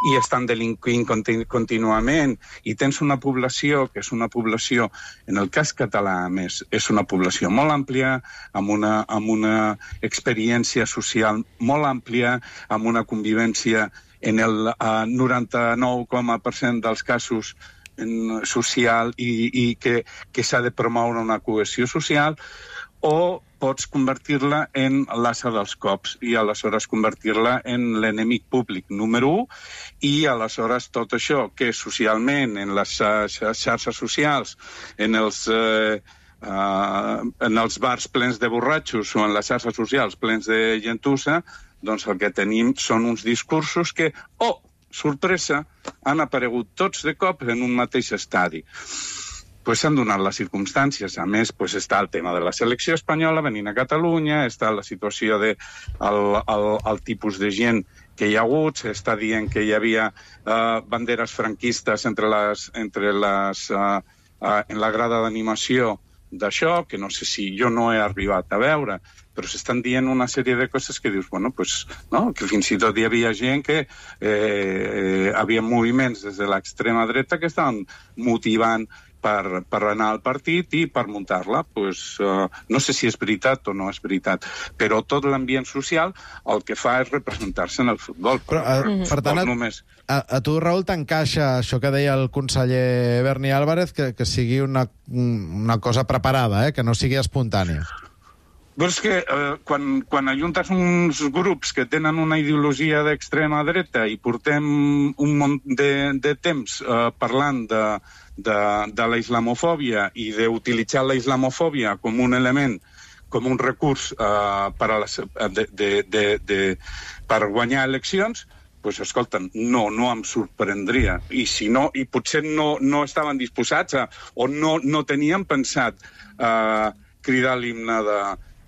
i estan delinquint contínuament, i tens una població que és una població, en el cas català, a més, és una població molt àmplia, amb una experiència social molt àmplia, amb una convivència en el 99% dels casos social i que s'ha de promoure una cohesió social, o pots convertir-la en l'assa dels cops i aleshores convertir-la en l'enemic públic número 1 i aleshores tot això que socialment en les xarxes socials, en els bars plens de borratxos o en les xarxes socials plens de gentussa, doncs el que tenim són uns discursos que, sorpresa, han aparegut tots de cop en un mateix estadi. Pues s'han donat les circumstàncies. A més, pues està el tema de la selecció espanyola venint a Catalunya, està la situació de el tipus de gent que hi ha hagut, s'està dient que hi havia banderes franquistes en la grada d'animació d'això, que no sé si jo no he arribat a veure, però s'estan dient una sèrie de coses que dius, bueno, pues, no? Que fins i tot hi havia gent que havia moviments des de l'extrema dreta que estaven motivant per anar al partit i per muntar-la. Pues, no sé si és veritat o no és veritat, però tot l'ambient social el que fa és representar-se en el futbol. Però, per tant, a tu, Raül, t'encaixa això que deia el conseller Berni Álvarez, que sigui una cosa preparada, que no sigui espontània? Però és que quan ajuntes uns grups que tenen una ideologia d'extrema dreta i portem un munt de temps parlant de la islamofòbia i d'utilitzar la islamofòbia com un element, com un recurs per guanyar eleccions, doncs, escolta'm, no em sorprendria. I si no, i potser no estaven disposats o no tenien pensat cridar l'himne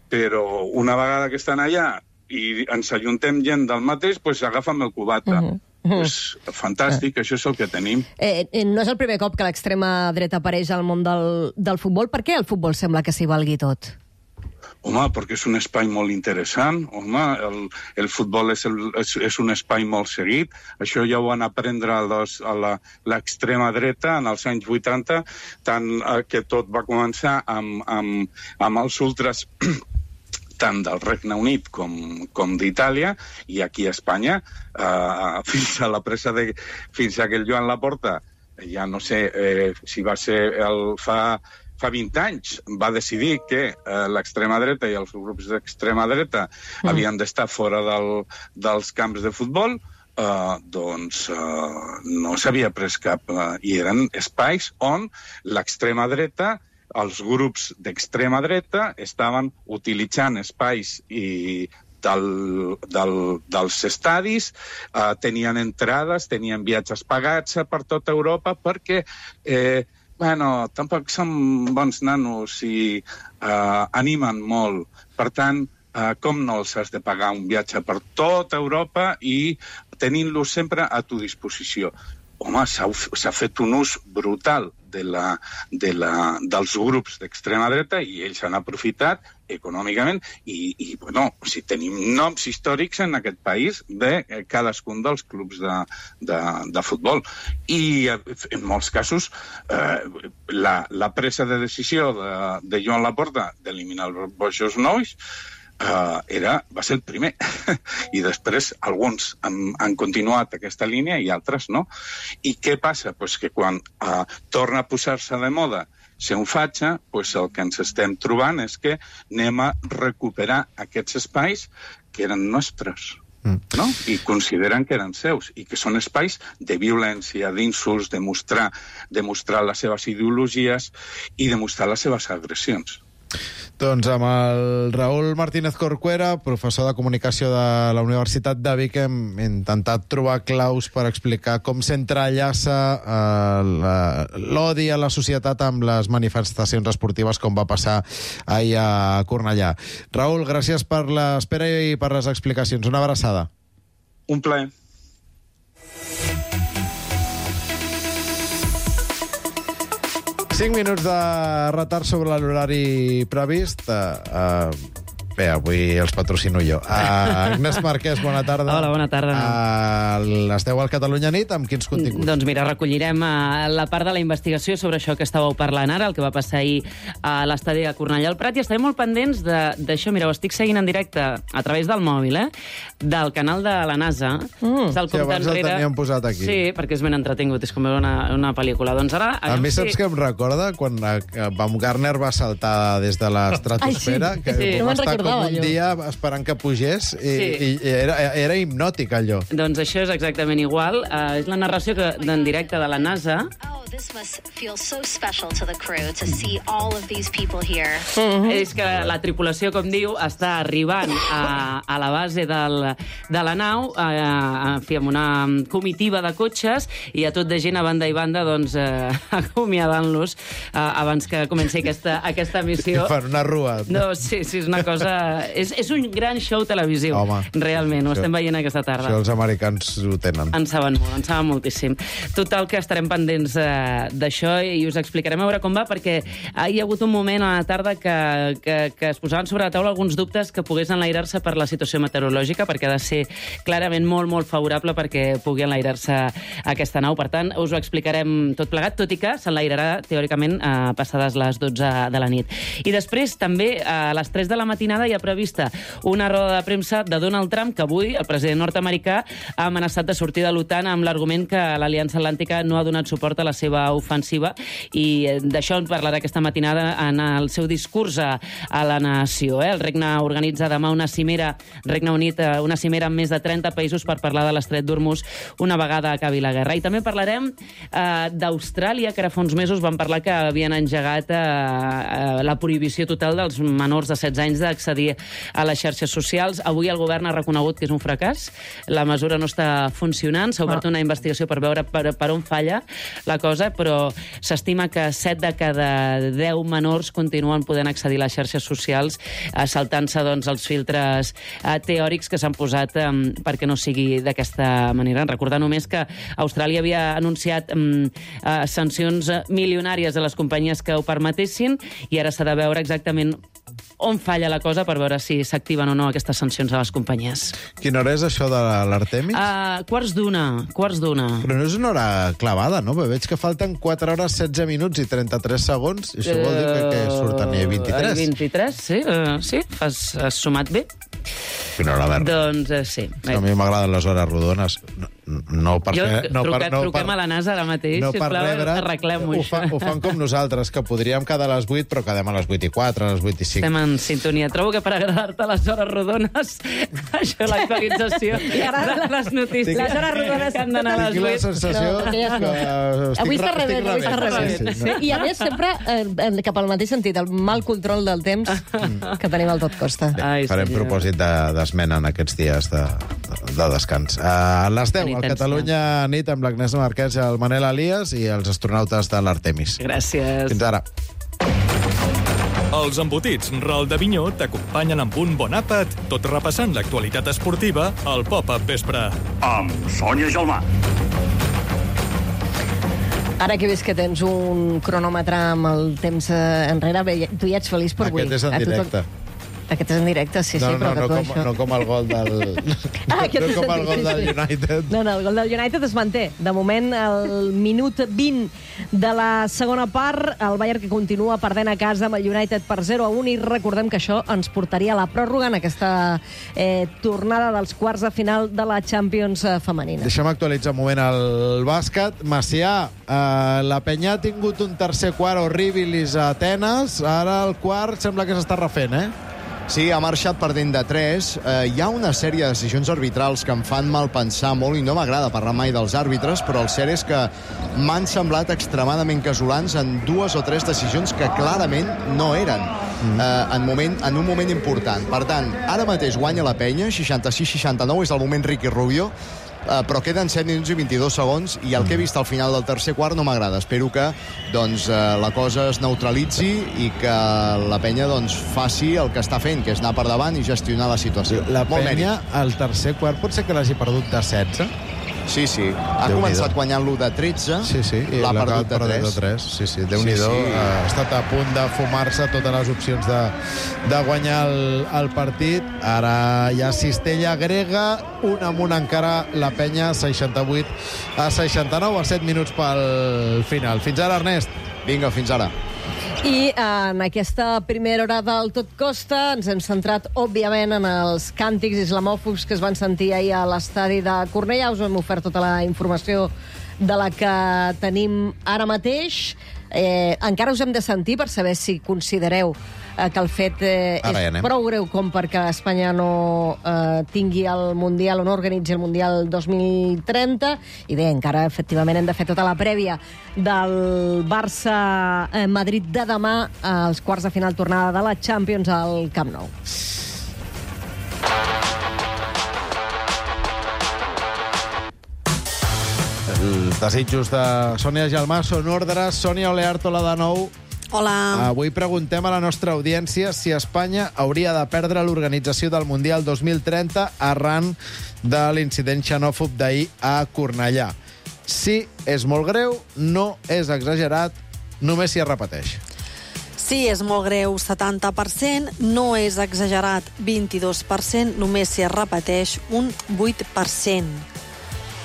però una vegada que estan allà i ens ajuntem gent del mateix, doncs agafa'm el cubata. Pues, fantàstic, això és el que tenim. No és el primer cop que l'extrema dreta apareix al món del futbol. Per què el futbol sembla que s'hi valgui tot? Home, perquè és un espai molt interessant. Home, el futbol és un espai molt seguit. Això ja ho van aprendre a l'extrema dreta en els anys 80, tant que tot va començar amb els ultras tant del Regne Unit com d'Itàlia, i aquí a Espanya, fins a aquell Joan Laporta, ja no sé si va ser fa 20 anys, va decidir que l'extrema dreta i els grups d'extrema dreta havien d'estar fora dels camps de futbol, doncs no s'havia pres cap... I eren espais on l'extrema dreta, els grups d'extrema dreta, estaven utilitzant espais dels estadis, tenien entrades, tenien viatges pagats per tota Europa, perquè... tampoc són bons nanos i animen molt. Per tant, com no els has de pagar un viatge per tota Europa i tenint-los sempre a tu disposició? Home, s'ha fet un ús brutal dels grups d'extrema dreta i ells han aprofitat econòmicament i tenim noms històrics en aquest país de cadascun dels clubs de futbol. I en molts casos la presa de decisió de Joan Laporta d'eliminar els bojos nois va ser el primer. I després alguns han continuat aquesta línia i altres no. I què passa? Pues que quan torna a posar-se de moda ser un fatxa, pues el que ens estem trobant és que anem a recuperar aquests espais que eren nostres. No? I consideren que eren seus i que són espais de violència, d'insults, de mostrar les seves ideologies i de mostrar les seves agressions. Doncs amb el Raül Martínez Corcuera, professor de comunicació de la Universitat de Vic, hem intentat trobar claus per explicar com s'entrellaça l'odi a la societat amb les manifestacions esportives, com va passar ahir a Cornellà. Raül, gràcies per l'espera i per les explicacions. Una abraçada. Un plaer. Cinc minuts de retard sobre l'horari previst. Bé, avui els patrocino jo. Agnès Marquès, bona tarda. Hola, bona tarda. Esteu al Catalunya Nit amb quins continguts? Doncs mira, recollirem la part de la investigació sobre això que estàveu parlant ara, el que va passar ahir a l'estadi de Cornellà al Prat, i estarem molt pendents d'això. Mira, ho estic seguint en directe a través del mòbil, del canal de la NASA. Sí, abans el teníem posat aquí. Sí, perquè és ben entretingut, és com veure una pel·lícula. Doncs ara... A mi saps què em recorda? Quan Baumgartner va saltar des de l'estratosfera, que va estar com un dia esperant que pugés, i era hipnòtic, allò. Doncs això és exactament igual. És la narració en directe de la NASA. This must feel so special to the crew to see all of these people here. És que la tripulació, com diu, està arribant a la base de la nau, en fi, amb una comitiva de cotxes, i a tot de gent a banda i banda, doncs, acomiadant-los abans que comenci aquesta missió. I fan una rua. No, sí, és una cosa... És un gran show televisiu. Home, realment, ho estem veient aquesta tarda. Això els americans ho tenen. En saben molt, en saben moltíssim. Total, que estarem pendents d'això i us explicarem a veure com va, perquè hi ha hagut un moment a la tarda que es posaven sobre la taula alguns dubtes que pogués enlairar-se per la situació meteorològica, perquè ha de ser clarament molt, molt favorable perquè pugui enlairar-se aquesta nau. Per tant, us ho explicarem tot plegat, tot i que s'enlairarà, teòricament, passades les 12 de la nit. I després, també, a les 3 de la matinada hi ha prevista una roda de premsa de Donald Trump, que avui el president nord-americà ha amenaçat de sortir de l'OTAN amb l'argument que l'Aliança Atlàntica no ha donat suport a la seva ofensiva, i d'això en parlarà aquesta matinada en el seu discurs a la nació. El Regne organitza demà una cimera, Regne Unit, una cimera amb més de 30 països per parlar de l'Estret d'Hormuz una vegada acabi la guerra. I també parlarem d'Austràlia, que ara fa uns mesos van parlar que havien engegat la prohibició total dels menors de 16 anys d'accedir a les xarxes socials. Avui el govern ha reconegut que és un fracàs. La mesura no està funcionant. S'ha obert una investigació per veure per on falla la cosa, però s'estima que 7 de cada 10 menors continuen podent accedir a les xarxes socials, saltant-se doncs, els filtres teòrics que s'han posat perquè no sigui d'aquesta manera. Recordar només que Austràlia havia anunciat sancions milionàries a les companyies que ho permetessin, i ara s'ha de veure exactament on falla la cosa per veure si s'activen o no aquestes sancions a les companyies. Quina hora és això de l'Artemis? Quarts d'una. Però no és una hora clavada, no? Veig que falten 4 hores, 16 minuts i 33 segons. I això vol dir que surten 23. 23, sí, has sumat bé. Quina hora verda. Doncs sí. A mi m'agraden les hores rodones. No perquè... Truquem a la NASA ara mateix, sisplau, arreglem-ho. Ho fan com nosaltres, que podríem quedar a les 8, però quedem a les 8 i 4, a les 8 i 5. Estem en sintonia. Trobo que per agradar-te les hores rodones, això, l'actualització de les notícies. Les hores rodones que han d'anar a les 8. Tinc la sensació que avui està rebent. I a més, sempre cap al mateix sentit, el mal control del temps que tenim al tot costa. Farem propòsit d'esmena en aquests dies de descans. A les 10, al Catalunya Nit, amb l'Agnès Marquès, el Manel Elias i els astronautes de l'Artemis. Gràcies. Fins ara. Els embotits Ral de Vinyó t'acompanyen amb un bon àpat, tot repassant l'actualitat esportiva al Pop-Up Vespre. Amb Sònia Gelmà. Ara que he vist que tens un cronòmetre amb el temps enrere, tu ja ets feliç per avui. Aquest és en directe. Aquest és en directe, sí, però que tu això... No com el gol del... No com el gol del United. No, el gol del United es manté. De moment, el minut 20 de la segona part, el Bayern que continua perdent a casa amb el United per 0-1, i recordem que això ens portaria a la pròrroga en aquesta tornada dels quarts de final de la Champions femenina. Deixa'm actualitzar un moment el bàsquet. Macià, la Penya ha tingut un tercer quart horribilis a Atenes, ara el quart sembla que s'està refent, Sí, ha marxat perdent de 3. Hi ha una sèrie de decisions arbitrals que em fan mal pensar molt, i no m'agrada parlar mai dels àrbitres, però el cert és que m'han semblat extremadament casolans en 2 o 3 decisions que clarament no eren en un moment important. Per tant, ara mateix guanya la Penya, 66-69, és el moment Ricky Rubio, però queden 7 minuts i 22 segons, i el que he vist al final del tercer quart no m'agrada. Espero que la cosa es neutralitzi i que la Penya faci el que està fent, que és anar per davant i gestionar la situació. La Penya, al tercer quart, pot ser que l'hagi perdut de 16? Sí. Ha començat guanyant l'1 de 13, l'ha perdut de 3. Sí, Déu-n'hi-do. Ha estat a punt de fumar-se totes les opcions de guanyar el partit. Ara hi ha cistella grega, un amunt encara la penya, 68-69, a 7 minuts pel final. Fins ara, Ernest. Vinga, fins ara. I en aquesta primera hora del Tot Costa ens hem centrat, òbviament, en els càntics islamòfobs que es van sentir ahir a l'estadi de Cornellà. Us hem ofert tota la informació de la que tenim ara mateix. Encara us hem de sentir per saber si considereu que el fet és prou greu com perquè Espanya no tingui el Mundial o no organitzi el Mundial 2030. I bé, encara efectivament hem de fer tota la prèvia del Barça-Madrid de demà als quarts de final tornada de la Champions al Camp Nou. Els desitjos de Sònia Gelmà són ordres. Sònia Oleartola de nou. Hola. Avui preguntem a la nostra audiència si Espanya hauria de perdre l'organització del Mundial 2030 arran de l'incident xenòfob d'ahir a Cornellà. Sí, és molt greu, no és exagerat, només si es repeteix. Sí, és molt greu, 70%, no és exagerat, 22%, només si es repeteix, un 8%.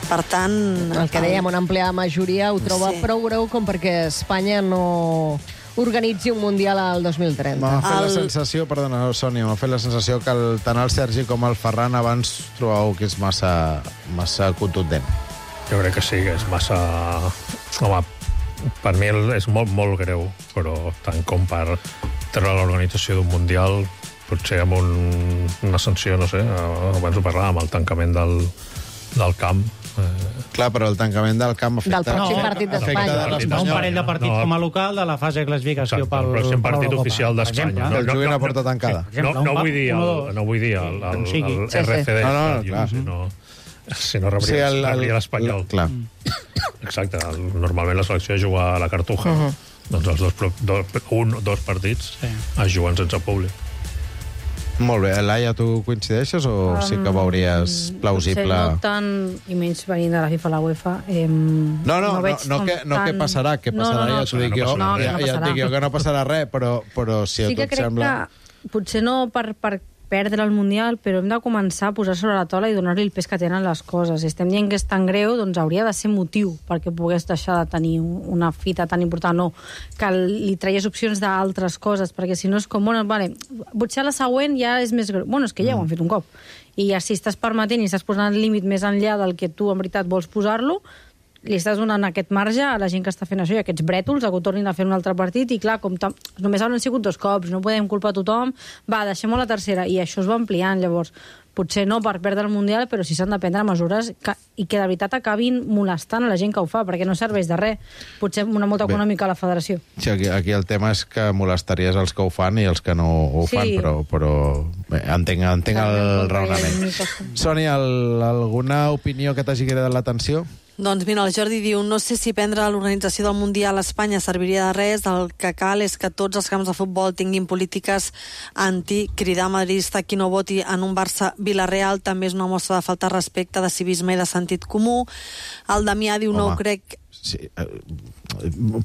Per tant... El que dèiem, una àmplia majoria ho troba prou greu com perquè Espanya no organitzi un Mundial al 2030. M'ha fet la sensació, perdona, Sònia, m'ha fet la sensació que tant el Sergi com el Ferran abans trobeu que és massa contundent. Jo crec que sí, que és massa... Home, per mi és molt, molt greu, però tant com per treure l'organització d'un Mundial, potser amb una sanció, no sé, abans ho parlàvem, el tancament del camp. Clar, però el tancament del camp afecta... Del pròxim partit d'Espanya. Un parell de partits com a local de la fase de classificació pel pròxim partit oficial d'Espanya. Que el juguin a porta tancada. No vull dir el RCD, sinó rebria l'Espanyol. Clar. Exacte. Normalment la selecció juga a la Cartuja. Doncs els dos partits es juguen sense públic. Molt bé. Laia, tu coincideixes o sí que veuries plausible? No tant, i menys venint de la FIFA a la UEFA. No què passarà, ja t'ho dic jo. Ja et dic jo que no passarà res, però si a tu et sembla... Sí que crec que potser no per perdre el Mundial, però hem de començar a posar sobre la taula i donar-li el pes que tenen les coses. Si estem dient que és tan greu, doncs hauria de ser motiu perquè pogués deixar de tenir una fita tan important, no que li traies opcions d'altres coses, perquè si no és com, potser la següent ja és més greu. És que ja ho han fet un cop. I ja si estàs permetent i estàs posant el límit més enllà del que tu en veritat vols posar-lo, li estàs donant aquest marge a la gent que està fent això i aquests brètols, que ho tornin a fer un altre partit, i clar, com només han sigut 2 cops, no podem culpar a tothom, deixem-ho a la tercera, i això es va ampliant, llavors, potser no per perdre el Mundial, però sí s'han de prendre mesures i que de veritat acabin molestant a la gent que ho fa, perquè no serveix de res, potser una multa econòmica a la federació. Sí, aquí el tema és que molestaries els que ho fan i els que no ho fan, però bé, entenc el raonament. Sònia, alguna opinió que t'hagi cridat l'atenció? Doncs mira, el Jordi diu, no sé si prendre l'organització del Mundial a Espanya serviria de res, el que cal és que tots els camps de futbol tinguin polítiques cridar madridista qui no voti en un Barça-Villarreal també és una mostra de falta de respecte, de civisme i de sentit comú. El Damià diu, no ho crec... Sí,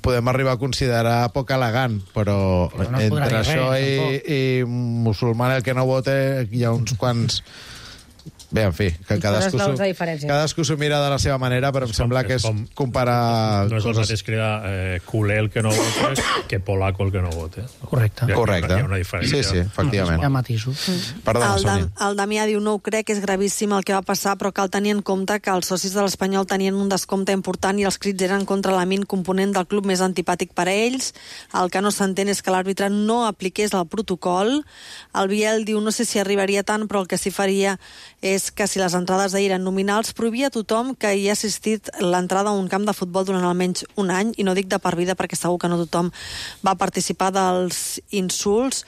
podem arribar a considerar poc elegant, però entre això i musulmán el que no vote hi ha uns quants... Bé, en fi, que cadascú s'ho mira de la seva manera, però em sembla que és comparar... No és el mateix cridar culer el que no vote que polaco el que no vote. Correcte. Hi ha una diferència. Sí, efectivament. Hi ha matisos. Perdona, Sònia. El Damià diu, no ho crec, és gravíssim el que va passar, però cal tenir en compte que els socis de l'Espanyol tenien un descompte important i els crits eren contra l'Amin, component del club més antipàtic per a ells. El que no s'entén és que l'àrbitre no apliqués el protocol. El Biel diu, no sé si arribaria tant, però el que sí faria és que si les entrades d'ahir eren nominals, prohibia a tothom que hi ha assistit l'entrada a un camp de futbol durant almenys un any, i no dic de per vida perquè segur que no tothom va participar dels insults.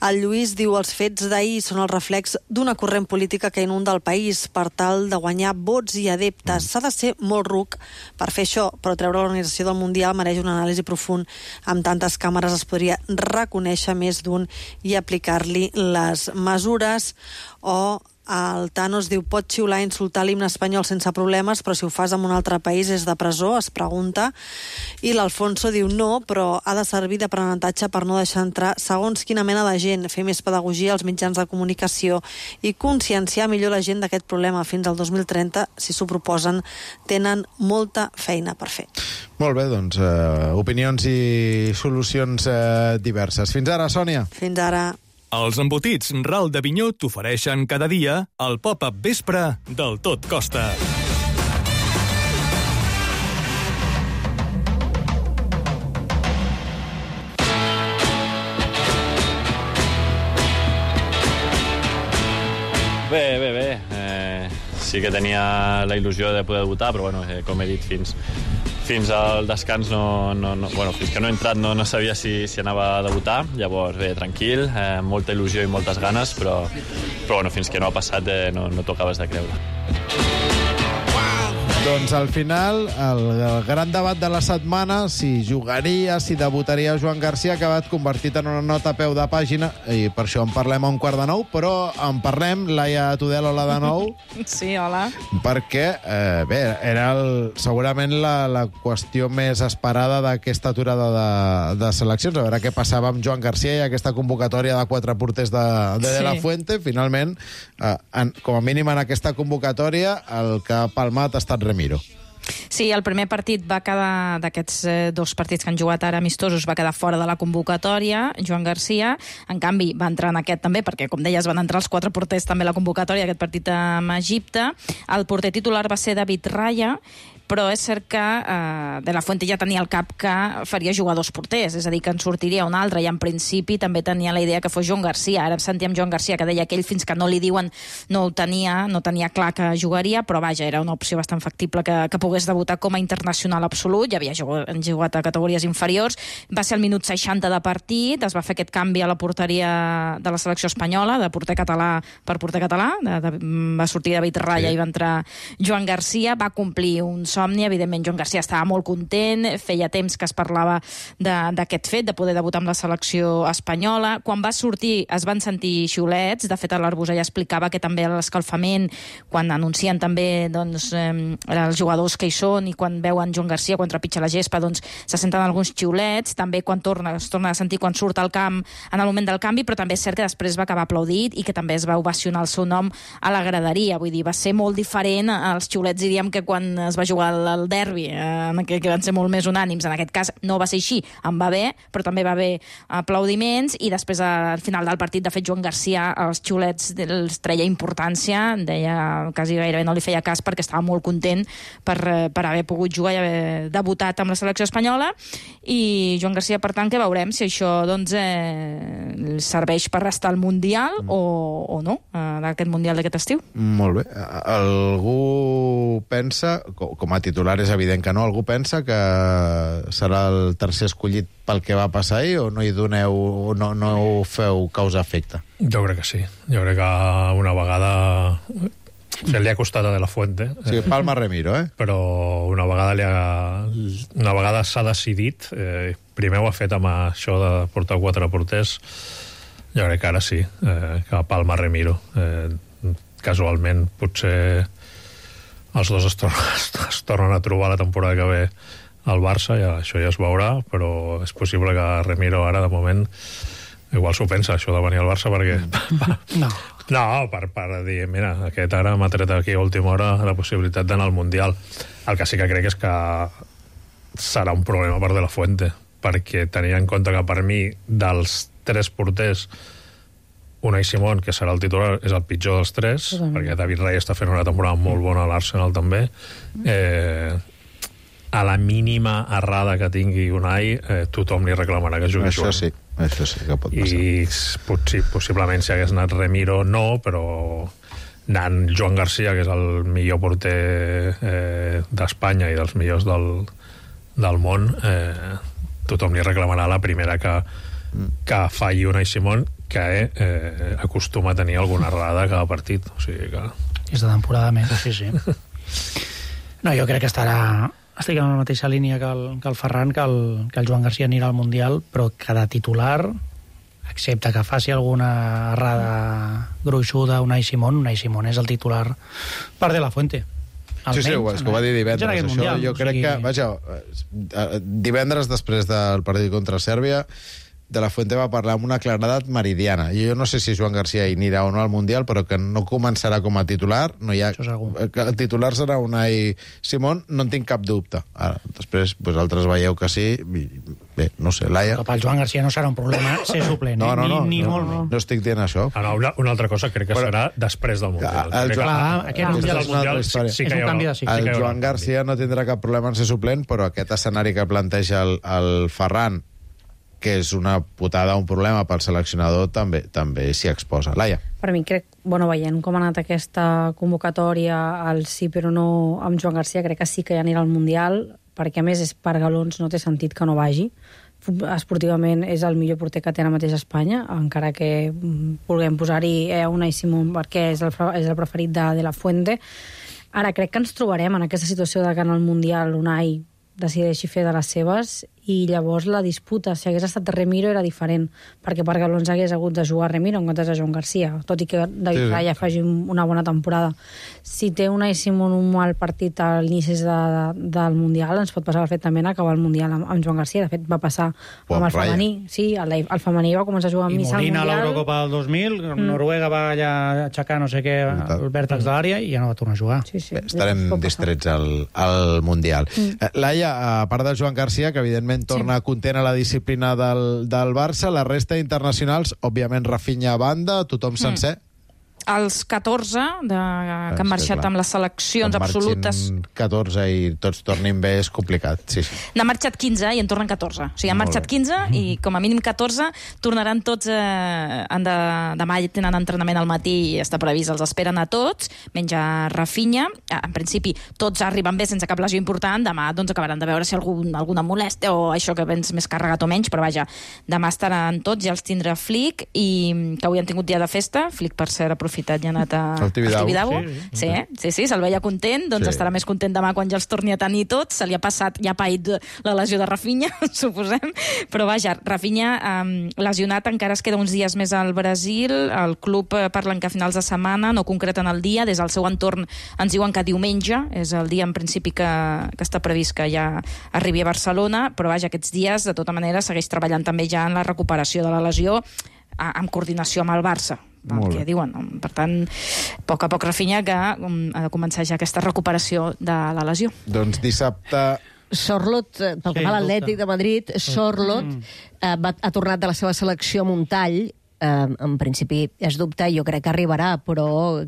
El Lluís diu, els fets d'ahir són el reflex d'una corrent política que inunda el país per tal de guanyar vots i adeptes. S'ha de ser molt ruc per fer això, però treure l'organització del Mundial mereix una anàlisi profund. Amb tantes càmeres es podria reconèixer més d'un i aplicar-li les mesures. O El Thanos diu, pot xiular i insultar l'himne espanyol sense problemes, però si ho fas en un altre país és de presó, es pregunta. I l'Alfonso diu, no, però ha de servir d'aprenentatge per no deixar entrar segons quina mena de gent, fer més pedagogia als mitjans de comunicació i conscienciar millor la gent d'aquest problema. Fins al 2030, si s'ho proposen, tenen molta feina per fer. Molt bé, doncs, opinions i solucions diverses. Fins ara, Sònia. Fins ara. Els embotits Ral d'Avinyó t'ofereixen cada dia el pop-up vespre del Tot Costa. Bé. Sí que tenia la il·lusió de poder debutar, però bueno, com he dit, fins al descans fins que no he entrat no sabia si anava a debutar. Llavors, bé, tranquil, molta il·lusió i moltes ganes, però bueno, fins que no ha passat no t'ho acabes de creure. Doncs al final, el gran debat de la setmana, si jugaria, si debutaria Joan Garcia, ha acabat convertit en una nota a peu de pàgina, i per això en parlem a 8:45, però en parlem, Laia Tudel, hola de nou. Sí, hola. Perquè, bé, era segurament la qüestió més esperada d'aquesta aturada de seleccions, a veure què passava amb Joan Garcia i aquesta convocatòria de 4 porters de la Fuente. Finalment, com a mínim en aquesta convocatòria, el que ha palmat ha estat Remiro. Sí, el primer partit va quedar, d'aquests 2 partits que han jugat ara amistosos, va quedar fora de la convocatòria, Joan Garcia. En canvi, va entrar en aquest també, perquè, com deies, van entrar els 4 porters també a la convocatòria d'aquest partit amb Egipte. El porter titular va ser David Raya, però és cert que De la Fuente ja tenia al cap que faria jugar 2 porters, és a dir, que en sortiria un altre, i en principi també tenia la idea que fos Joan Garcia. Ara sentíem Joan Garcia que deia que ell, fins que no li diuen, no tenia clar que jugaria, però vaja, era una opció bastant factible que pogués debutar com a internacional absolut. Ja havia jugat a categories inferiors. Va ser al minut 60 de partit, es va fer aquest canvi a la porteria de la selecció espanyola, de porter català per porter català, va sortir David Raya i va entrar Joan Garcia, va complir un somni. Evidentment, Joan Garcia estava molt content, feia temps que es parlava d'aquest fet, de poder debutar amb la selecció espanyola. Quan va sortir es van sentir xiulets, de fet l'Arbusà ja explicava que també a l'escalfament, quan anuncien també els jugadors que hi són i quan veuen Joan Garcia, quan trepitja la gespa, doncs se senten alguns xiulets, també quan es torna a sentir quan surt al camp en el moment del canvi, però també és cert que després va acabar aplaudit i que també es va ovacionar el seu nom a la graderia. Vull dir, va ser molt diferent als xiulets, diríem, que quan es va jugar el derbi, que van ser molt més unànims. En aquest cas no va ser així, en va bé, però també va haver aplaudiments, i després al final del partit, de fet, Joan Garcia els xiulets els treia importància, deia quasi gairebé no li feia cas perquè estava molt content per haver pogut jugar i haver debutat amb la selecció espanyola. I Joan Garcia, per tant, que veurem si això serveix per restar al Mundial o no, d'aquest Mundial d'aquest estiu. Molt bé. Algú pensa, com a titular és evident que no, algú pensa que serà el tercer escollit pel que va passar ahir, o no hi doneu, no ho feu causa-efecte? Jo crec que sí. Jo crec que una vegada li ha costat a De la Fuente. Sí, Palma Remiro, Però una vegada s'ha decidit, primer ho ha fet amb això de portar 4 porters, jo crec que ara sí, que Palma Remiro. Casualment, potser els dos es tornen a trobar la temporada que ve al Barça, això ja es veurà, però és possible que Remiro ara, de moment, igual s'ho pensa, això de venir al Barça, perquè... No, per dir, mira, aquest ara m'ha tret aquí a última hora la possibilitat d'anar al Mundial. El que sí que crec és que serà un problema per De la Fuente, perquè tenia en compte que per mi, dels 3 porters, Unai Simón, que serà el titular, és el pitjor dels 3, perquè David Raya està fent una temporada molt bona a l'Arsenal també. A la mínima errada que tingui Unai, tothom li reclamarà que jugui Joan. Això sí que pot passar. I possiblement si hagués anat Remiro no, però anant Joan Garcia, que és el millor porter d'Espanya i dels millors del món, tothom li reclamarà la primera que falli Unai Simón, que acostuma a tenir alguna errada a cada partit. O sigui que... És de temporada més, sí. No, jo crec que estic en la mateixa línia que el Ferran, que el Joan Garcia anirà al Mundial, però cada titular excepte que faci alguna errada gruixuda Unai Simón és el titular per De La Fuente. Sí, és que ho va dir divendres. Això, mundial, jo crec que, vaja, divendres després del partit contra Sèrbia, De La Fuente va parlar amb una claredat meridiana. Jo no sé si Joan Garcia hi anirà o no al Mundial, però que no començarà com a titular. No hi ha... Que el titular serà Unai Simón, no en tinc cap dubte. Ara, després, altres veieu que sí. Bé, no sé, Laia... Però pel Joan Garcia no serà un problema ser suplent, ni molt menys. No estic dient això. Una altra cosa crec que serà després del Mundial. Aquest és un canvi de cicle. El Joan Garcia no tindrà cap problema en ser suplent, però aquest escenari que planteja el Ferran, que és una putada, un problema pel seleccionador, també s'hi exposa. Laia. Per mi crec, veient com ha anat aquesta convocatòria, el sí però no amb Joan Garcia, crec que sí que ja anirà al Mundial, perquè a més és per galons, no té sentit que no vagi. Esportivament és el millor porter que té ara mateix a Espanya, encara que vulguem posar-hi Unai Simón perquè és el preferit de La Fuente. Ara crec que ens trobarem en aquesta situació de que en el Mundial Unai decideixi fer de les seves i llavors la disputa, si hagués estat Remiro era diferent, perquè per galons hagués hagut de jugar Remiro en comptes de Joan Garcia, tot i que David Raya faci una bona temporada. Si té Unai Simón un mal partit a l'inici del Mundial, ens pot passar perfectament acabar el Mundial amb Joan Garcia. De fet, va passar amb el femení. Sí, el femení va començar a jugar amb Missa al Mundial. I Molina a l'Eurocopa del 2000, Noruega va allà aixecar no sé què, el vèrtex de l'àrea, i ja no va tornar a jugar. Estarem distrets al Mundial. Laia, a part de Joan Garcia, que evidentment torna content a la disciplina del Barça, la resta internacionals, òbviament Rafinha a banda, tothom sencer. Els 14 que han marxat amb les seleccions absolutes... 14 i tots tornin bé és complicat, sí. N'han marxat 15 i en tornen 14. O sigui, han marxat 15 i com a mínim 14 tornaran tots... Demà tenen entrenament al matí i està previst, els esperen a tots, menys a Rafinha. En principi, tots arriben bé sense cap lesió important. Demà acabaran de veure si alguna molèstia o això que vens més carregat o menys, però vaja, demà estaran tots, ja els tindrà Flick, i que avui han tingut dia de festa. Flick, per cert, aprofitat i ha anat a Tibidabo. Sí, se'l veia content, doncs estarà més content demà quan ja els torni a tenir tots. Se li ha passat, ja ha paït la lesió de Rafinha, suposem, però vaja, Rafinha lesionat, encara es queda uns dies més al Brasil, el club parlen que a finals de setmana, no concreten el dia, des del seu entorn ens diuen que diumenge és el dia en principi que està previst que ja arribi a Barcelona, però vaja, aquests dies de tota manera segueix treballant també ja en la recuperació de la lesió en coordinació amb el Barça, que diuen. Per tant, a poc Rafinha que ha de començar ja aquesta recuperació de la lesió. Doncs dissabte... Sorlot, pel que fa a l'Atlètic de Madrid, Sorlot ha tornat de la seva selecció amb un tall. En principi és dubte, jo crec que arribarà, però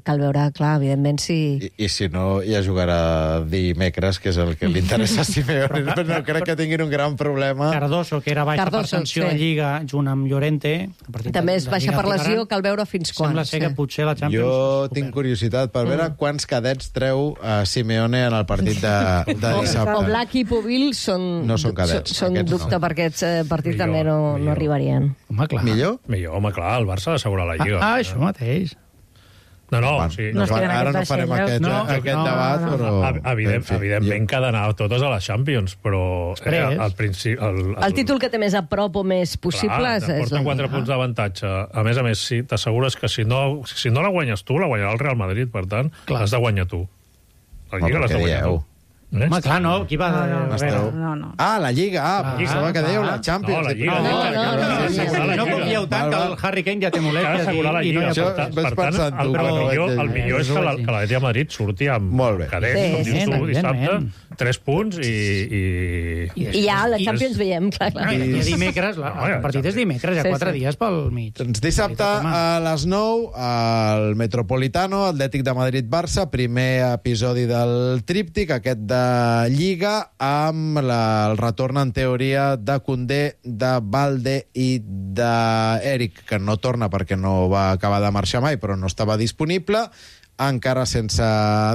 cal veure, clar, evidentment, si... I si no, ja jugarà dimecres, que és el que li interessa a Simeone. No crec que tinguin un gran problema. Cardoso, que era baixa per sanció a Lliga, junt amb Llorente. També és baixa per lesió, cal veure fins quan. Sembla ser que potser la Champions... Jo tinc curiositat per veure quants cadets treu a Simeone en el partit de dissabte. O Black i Pubil són dubte per aquests partits, també no arribarien. Home, clar. Millor? Millor, home, clar, el Barça ha d'assegurar la Lliga. Això mateix. Ara no farem aquest debat, però... Evidentment que ha d'anar totes a les Champions, però al principi... El títol que té més a prop o més possible és la Lliga. 4 punts d'avantatge. A més, si t'assegures que si no la guanyes tu, la guanyarà el Real Madrid, per tant, l'has de guanyar tu. La Lliga l'has de guanyar tu. Home, clar, no, qui va... No. La Lliga, pensava que dèieu la Champions. No, la Lliga. No confieu tant que el Harry Kane ja té molèsties i no hi ha portat. Per tant, el millor és que l'Atlètic de Madrid surti amb cadets, com dius tu, dissabte, 3 punts i ja la Champions veiem, clar. I dimecres, el partit és dimecres, hi ha 4 dies pel mig. Doncs dissabte a les 9, al Metropolitano, Atlètic de Madrid-Barça, primer episodi del tríptic, aquest de Lliga, amb el retorn en teoria de Koundé, de Balde i d'Eric, que no torna perquè no va acabar de marxar mai, però no estava disponible, encara sense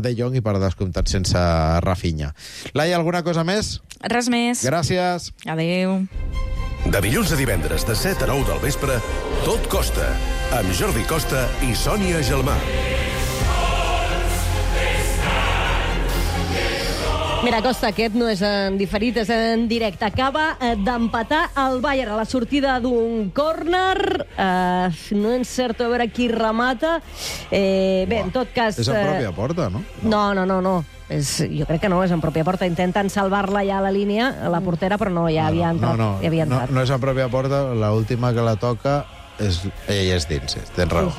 De Jong i per descomptat sense Rafinha. Laia, alguna cosa més? Res més. Gràcies. Adéu. De dilluns a divendres de 7 a 9 del vespre, Tot Costa, amb Jordi Costa i Sònia Gelmà. Mira, Costa, aquest no és en diferit, és en directe. Acaba d'empatar el Bayern a la sortida d'un córner. No encerto a veure qui remata. Bé, en tot cas... És en pròpia porta, no? No. Jo crec que no, és en pròpia porta. Intenten salvar-la ja a la línia, a la portera, però no, ja havia entrat. No és en pròpia porta, l'última que la toca ella és dins, tens raó.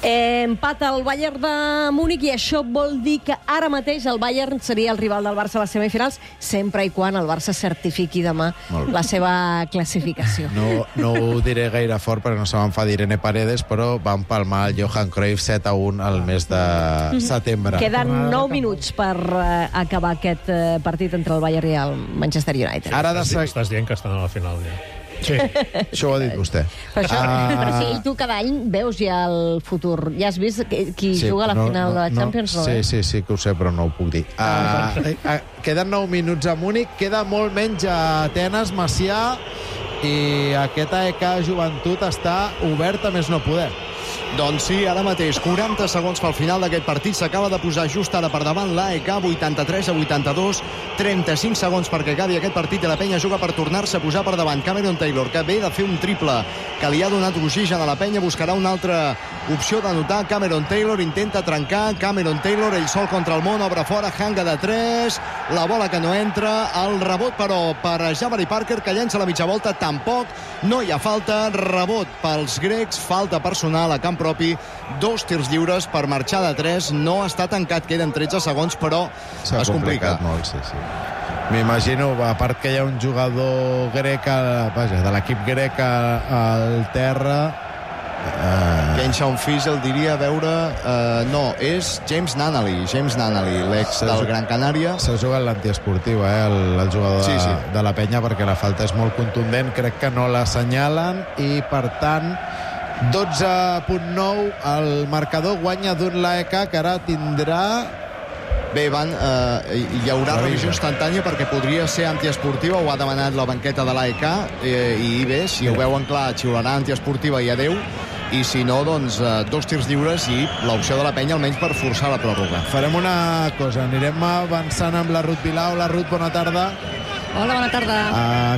Empata el Bayern de Múnich i això vol dir que ara mateix el Bayern seria el rival del Barça a les semifinals, sempre i quan el Barça certifiqui demà la seva classificació. No ho diré gaire fort perquè no se m'enfadi Irene Paredes, però van palmar el Johan Cruyff 7-1 al mes de setembre. Queden 9 minuts per acabar aquest partit entre el Bayern i el Manchester United. Estàs dient que estan a la final ja. Sí, això ho ha dit vostè. Però sí, tu cada any veus ja el futur. Ja has vist qui juga a la final de la Champions? Sí, que ho sé, però no ho puc dir. Queden 9 minuts a Múnich, queda molt menys a Atenes, Macià, i aquest AEK Joventut està obert a més no poder. Doncs sí, ara mateix, 40 segons pel final d'aquest partit. S'acaba de posar just ara per davant l'AEK, 83-82, 35 segons perquè acabi aquest partit i la penya juga per tornar-se a posar per davant. Cameron Taylor, que ve de fer un triple que li ha donat oxigen a la penya, buscarà una altra opció d'anotar. Cameron Taylor intenta trencar, Cameron Taylor, ell sol contra el món, obre fora, hanga de 3, la bola que no entra, el rebot però per Jabari Parker, que llença la mitja volta, tampoc, no hi ha falta, rebot pels grecs, falta personal a camp propi, 2 tirs lliures per marxar de 3, no està tancat, queden 13 segons, però es complica. Molt, sí. M'imagino, a part que hi ha un jugador grec, de l'equip grec al terra... Ken Shawn Fiesel diria veure... no, és James Nanally, l'ex del Gran Canària. S'ha jugat l'antiesportiva, el jugador de la penya, perquè la falta és molt contundent. Crec que no l'assenyalen i, per tant, 12.9, el marcador guanya d'un l'AEK, que ara tindrà... Bé, hi haurà revisió instantània perquè podria ser antiesportiva, ho ha demanat la banqueta de l'AEK, i bé, si ho veuen clar, xiularà antiesportiva i adeu, i si no, doncs 2 tirs lliures i l'opció de la penya almenys per forçar la pròrroga. Farem una cosa, anirem avançant amb la Ruth Vilau. La Ruth, bona tarda. Hola, bona tarda.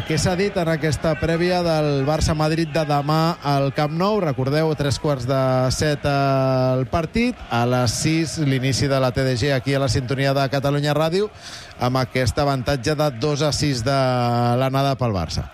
Què s'ha dit en aquesta prèvia del Barça-Madrid de demà al Camp Nou? Recordeu, 3:45 el partit, a les 6 l'inici de la TDG aquí a la sintonia de Catalunya Ràdio, amb aquest avantatge de 2-6 de l'anada pel Barça.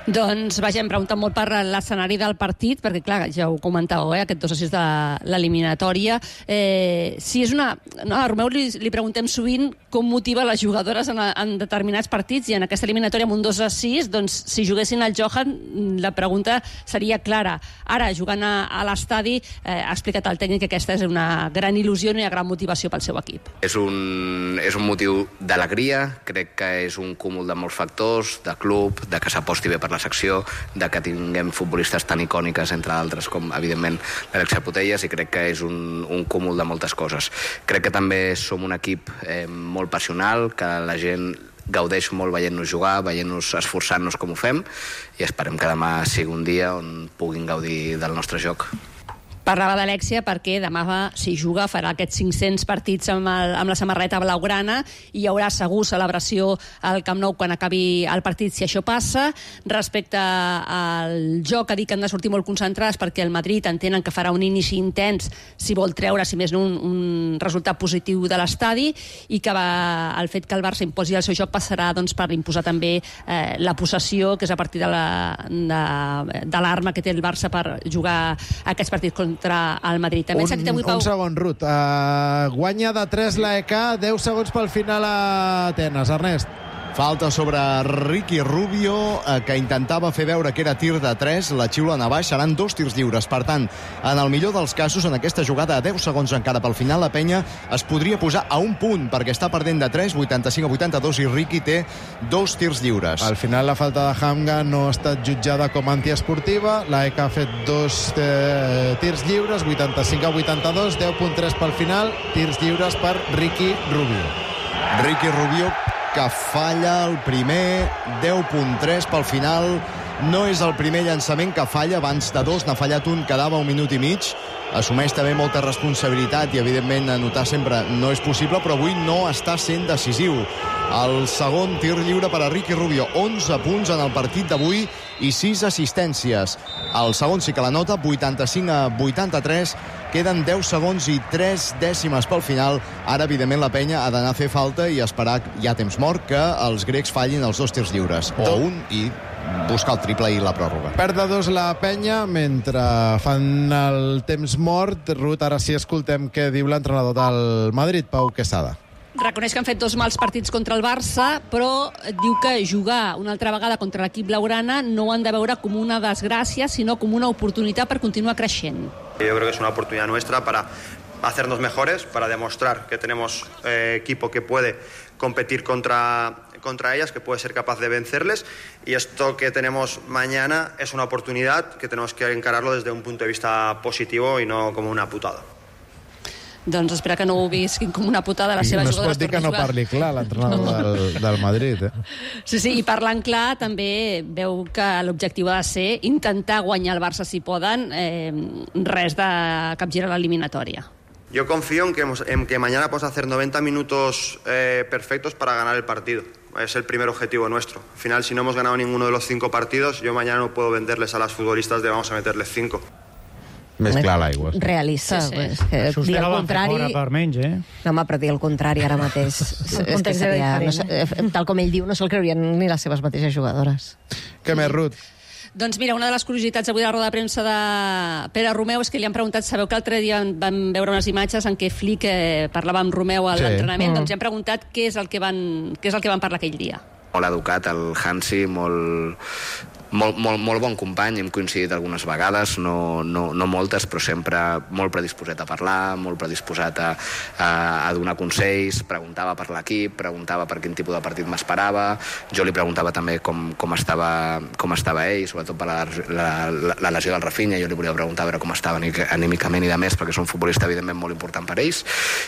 Doncs, vaja, hem preguntat molt per l'escenari del partit, perquè, clar, ja ho comentàveu, aquest 2-6 de l'eliminatòria. Si és una... No, a Romeu li preguntem sovint com motiva les jugadores en determinats partits, i en aquesta eliminatòria amb un 2-6, doncs, si juguessin al Johan, la pregunta seria clara. Ara, jugant a l'estadi, ha explicat el tècnic que aquesta és una gran il·lusió i una gran motivació pel seu equip. És un motiu d'alegria, crec que és un cúmul de molts factors, de club, de que s'aposti bé per la secció, de que tinguem futbolistes tan icòniques, entre altres, com, evidentment, l'Alexia Putellas, i crec que és un cúmul de moltes coses. Crec que també som un equip molt passional, que la gent gaudeix molt veient-nos jugar, veient-nos esforçant-nos com ho fem, i esperem que demà sigui un dia on puguin gaudir del nostre joc. Parlava d'Alexia perquè demà, si juga, farà aquests 500 partits amb la samarreta blaugrana i hi haurà segur celebració al Camp Nou quan acabi el partit, si això passa. Respecte al joc, ha dit que han de sortir molt concentrats perquè el Madrid entenen que farà un inici intens si vol treure, si més no, un resultat positiu de l'estadi, i que el fet que el Barça imposi el seu joc passarà doncs, per imposar també la possessió, que és a partir de l'arma que té el Barça per jugar aquests partits contra el Madrid. També un segon, Ruth. Guanya de 3 l'AEK, 10 segons pel final a Atenes. Ernest. Falta sobre Ricky Rubio, que intentava fer veure que era tir de 3, la xiulen a baix, seran 2 tirs lliures. Per tant, en el millor dels casos, en aquesta jugada a 10 segons encara pel final, la penya es podria posar a un punt, perquè està perdent de 3, 85-82, i Ricky té 2 tirs lliures. Al final, la falta de Hamga no ha estat jutjada com antiesportiva. L'AEK ha fet 2 tirs lliures, 85-82, 10.3 pel final, tirs lliures per Ricky Rubio. Ricky Rubio, que falla el primer, 10.3 pel final. No és el primer llançament que falla, abans de 2 n'ha fallat un, quedava 1 minut i mig. assumeix també molta responsabilitat i, evidentment, anotar sempre no és possible, però avui no està sent decisiu. El segon tir lliure per a Ricky Rubio. 11 punts en el partit d'avui i 6 assistències. El segon sí que la nota, 85-83. Queden 10 segons i 3 dècimes pel final. Ara, evidentment, la penya ha d'anar a fer falta i esperar, ja temps mort, que els grecs fallin els 2 tirs lliures. O un i buscar el triple i la pròrroga. Perd de 2 la penya mentre fan el temps mort. Ruth, ara sí escoltem què diu l'entrenador del Madrid, Pau Quesada. Reconeix que han fet 2 mals partits contra el Barça, però diu que jugar una altra vegada contra l'equip blaugrana no ho han de veure com una desgràcia, sinó com una oportunitat per continuar creixent. Yo creo que es una oportunidad nuestra para hacernos mejores, para demostrar que tenemos equipo que puede competir contra ellas, que puede ser capaz de vencerles, y esto que tenemos mañana es una oportunidad que tenemos que encararlo desde un punto de vista positivo y no como una putada. Doncs espera que no ho visquin com una putada les seves jugadores. No es pot dir que no parli clar l'entrenador del Madrid. Sí, i parlant clar també veu que l'objectiu ha de ser intentar guanyar el Barça si poden, res de capgirar l'eliminatòria. Yo confío en que mañana podemos hacer 90 minutos perfectos para ganar el partido. Es el primer objetivo nuestro. Al final, si no hemos ganado ninguno de los 5 partidos, yo mañana no puedo venderles a las futbolistas de vamos a meterles 5. Més clar l'aigua. Realista. Sí. Dir el contrari... Per menys, No, home, però dir el contrari ara mateix és que seria, tal com ell diu, no se'l creurien ni les seves mateixes jugadores. Què més, Ruth? Doncs mira, una de les curiositats avui de la roda de premsa de Pere Romeu és que li han preguntat, sabeu que l'altre dia vam veure unes imatges en què Flick parlava amb Romeu a l'entrenament, doncs li han preguntat què és el que van parlar aquell dia. Molt educat, el Hansi, molt bon company, hem coincidit algunes vegades, no moltes, però sempre molt predisposat a parlar, molt predisposat a donar consells, preguntava per l'equip, preguntava per quin tipus de partit m'esperava, jo li preguntava també com estava ell, sobretot per la lesió del Rafinha, jo li volia preguntar a veure com estava anímicament i de més, perquè és un futbolista evidentment molt important per ells,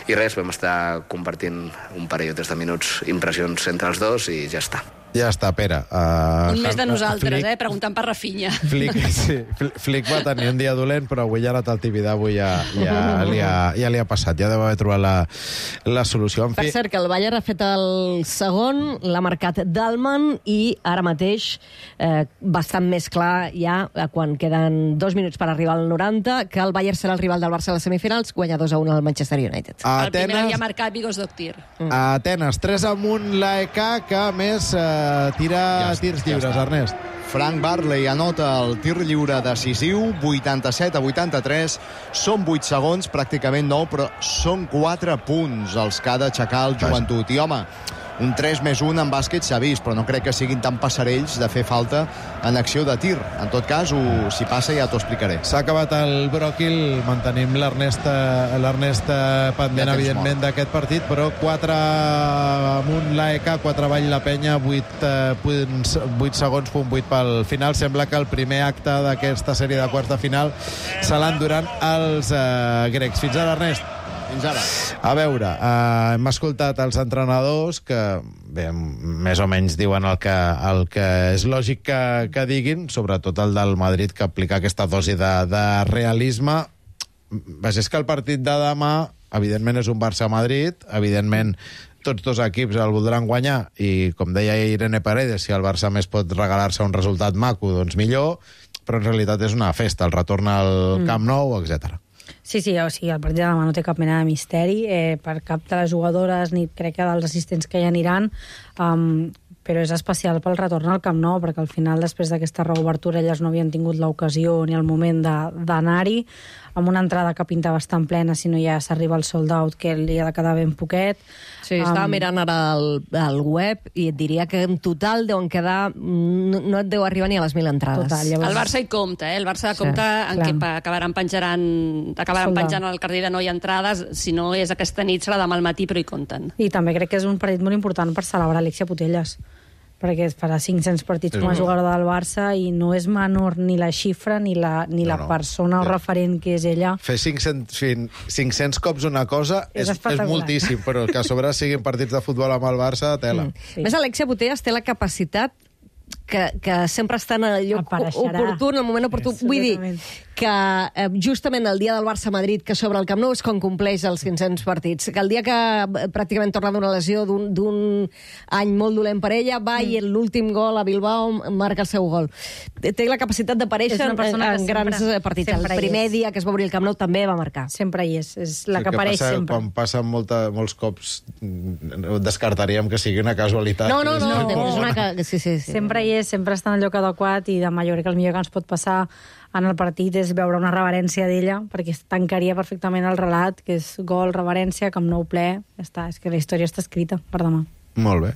i res, vam estar compartint un parell o 3 de minuts, impressions entre els dos i ja està. Ja està, Pere. Un mes de nosaltres, preguntant per Rafinha. Flick va tenir un dia dolent, però avui ja la Taltibidà ja li ha passat. Ja deu haver trobat la solució. Per cert, que el Bayern ha fet el segon, l'ha marcat Dalman, i ara mateix, bastant més clar ja, quan queden 2 minuts per arribar al 90, que el Bayern serà el rival del Barça a les semifinals, guanya 2-1 al Manchester United. El primer havia marcat Vigos Doktir. A Atenes, 3-1 l'AEK, que a més tira tirs lliures, Ernest. Frank Barley anota el tir lliure decisiu, 87-83. Són 8 segons, pràcticament 9, però són 4 punts els que ha d'aixecar el Joventut. I, home, un 3+1 en bàsquet s'ha vist, però no crec que siguin tan passarells de fer falta en acció de tir. En tot cas, si passa ja t'ho explicaré. S'ha acabat el bròquil, mantenim l'Ernest pendent, evidentment, d'aquest partit, però 4 amunt l'AEK, 4 avall la penya, 8 segons, punt 8 pel final. Sembla que el primer acte d'aquesta sèrie de quarts de final se l'enduran els grecs. Fins ara, Ernest. Fins ara. A veure, hem escoltat els entrenadors que, bé, més o menys diuen el que és lògic que diguin, sobretot el del Madrid, que aplica aquesta dosi de realisme. És que el partit de demà, evidentment, és un Barça-Madrid, evidentment tots 2 equips el voldran guanyar i, com deia Irene Paredes, si el Barça més pot regalar-se un resultat maco, doncs millor, però en realitat és una festa, el retorn al Camp Nou, etc. Sí, o sigui, el partit de demà no té cap mena de misteri per cap de les jugadores ni crec que dels assistents que hi aniran, però és especial pel retorn al Camp Nou, perquè al final, després d'aquesta reobertura, elles no havien tingut l'ocasió ni el moment d'anar-hi, amb una entrada que pinta bastant plena, si no ja s'arriba al sold out, que li ha de quedar ben poquet. Sí, estava mirant ara el web i et diria que en total deuen quedar... No et deu arribar ni a les 1.000 entrades. Total, llavors... El Barça hi compta, El Barça compta en què acabaran penjant al carrer de no hi ha entrades, si no és aquesta nit, serà demà al matí, però hi compten. I també crec que és un partit molt important per celebrar Alexia Putellas, perquè farà 500 partits com a jugadora del Barça i no és menor ni la xifra ni la persona o referent que és ella. Fer 500 cops una cosa és moltíssim, però que a sobre siguin partits de futbol amb el Barça, tela. Sí. Més, Alexia Putellas té la capacitat que sempre està en el lloc oportú, en el moment oportú. Vull dir que justament el dia del Barça-Madrid, que sobre el Camp Nou és quan compleix els 500 partits, que el dia que pràcticament torna d'una lesió d'un any molt dolent per ella, va i l'últim gol a Bilbao marca el seu gol. Té la capacitat d'aparèixer en grans partits. El primer dia que es va obrir el Camp Nou també va marcar. Sempre hi és la que apareix sempre. Quan passa molts cops descartaríem que sigui una casualitat. No, és una... Sí. Sempre hi és, sempre està en el lloc adequat i demà jo crec que el millor que ens pot passar en el partit és veure una reverència d'ella, perquè tancaria perfectament el relat, que és gol, reverència, Camp Nou ple, ja està, és que la història està escrita per demà. Molt bé.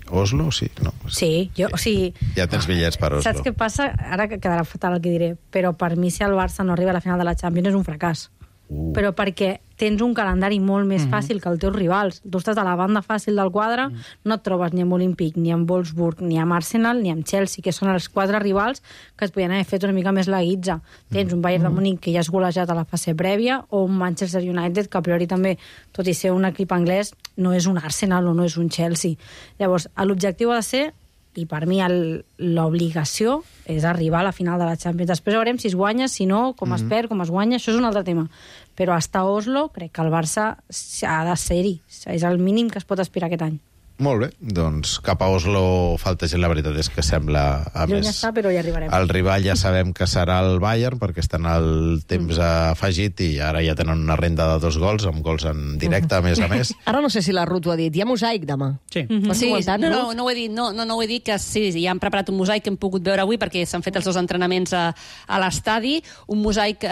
Oslo, sí? No. Sí, o sigui... Ja tens bitllets per Oslo. Saps què passa? Ara quedarà fatal el que diré, però per mi si el Barça no arriba a la final de la Champions és un fracàs. Però perquè tens un calendari molt més fàcil que els teus rivals. Tu estàs a la banda fàcil del quadre, no et trobes ni amb Olímpic, ni amb Wolfsburg, ni amb Arsenal, ni amb Chelsea, que són els 4 rivals que es podien haver fet una mica més la guitza. Tens un Bayern de Múnich que ja has golejat a la fase prèvia, o un Manchester United que a priori també, tot i ser un equip anglès, no és un Arsenal o no és un Chelsea. Llavors, l'objectiu ha de ser, i per mi l'obligació és arribar a la final de la Champions. Després veurem si es guanya, si no, com es perd, com es guanya, això és un altre tema. Però hasta Oslo crec que el Barça ha de ser-hi. És el mínim que es pot aspirar aquest any. Molt bé, doncs cap a Oslo falta gent, la veritat és que sembla... Lluny està, però hi arribarem. El rival ja sabem que serà el Bayern, perquè estan al temps afegit i ara ja tenen una renda de 2 gols, amb gols en directe, a més. Ara no sé si la Ruth ho ha dit, hi ha mosaic demà. Sí. No ho he dit, no ho he dit, que sí, ja han preparat un mosaic que hem pogut veure avui, perquè s'han fet els 2 entrenaments a l'estadi, un mosaic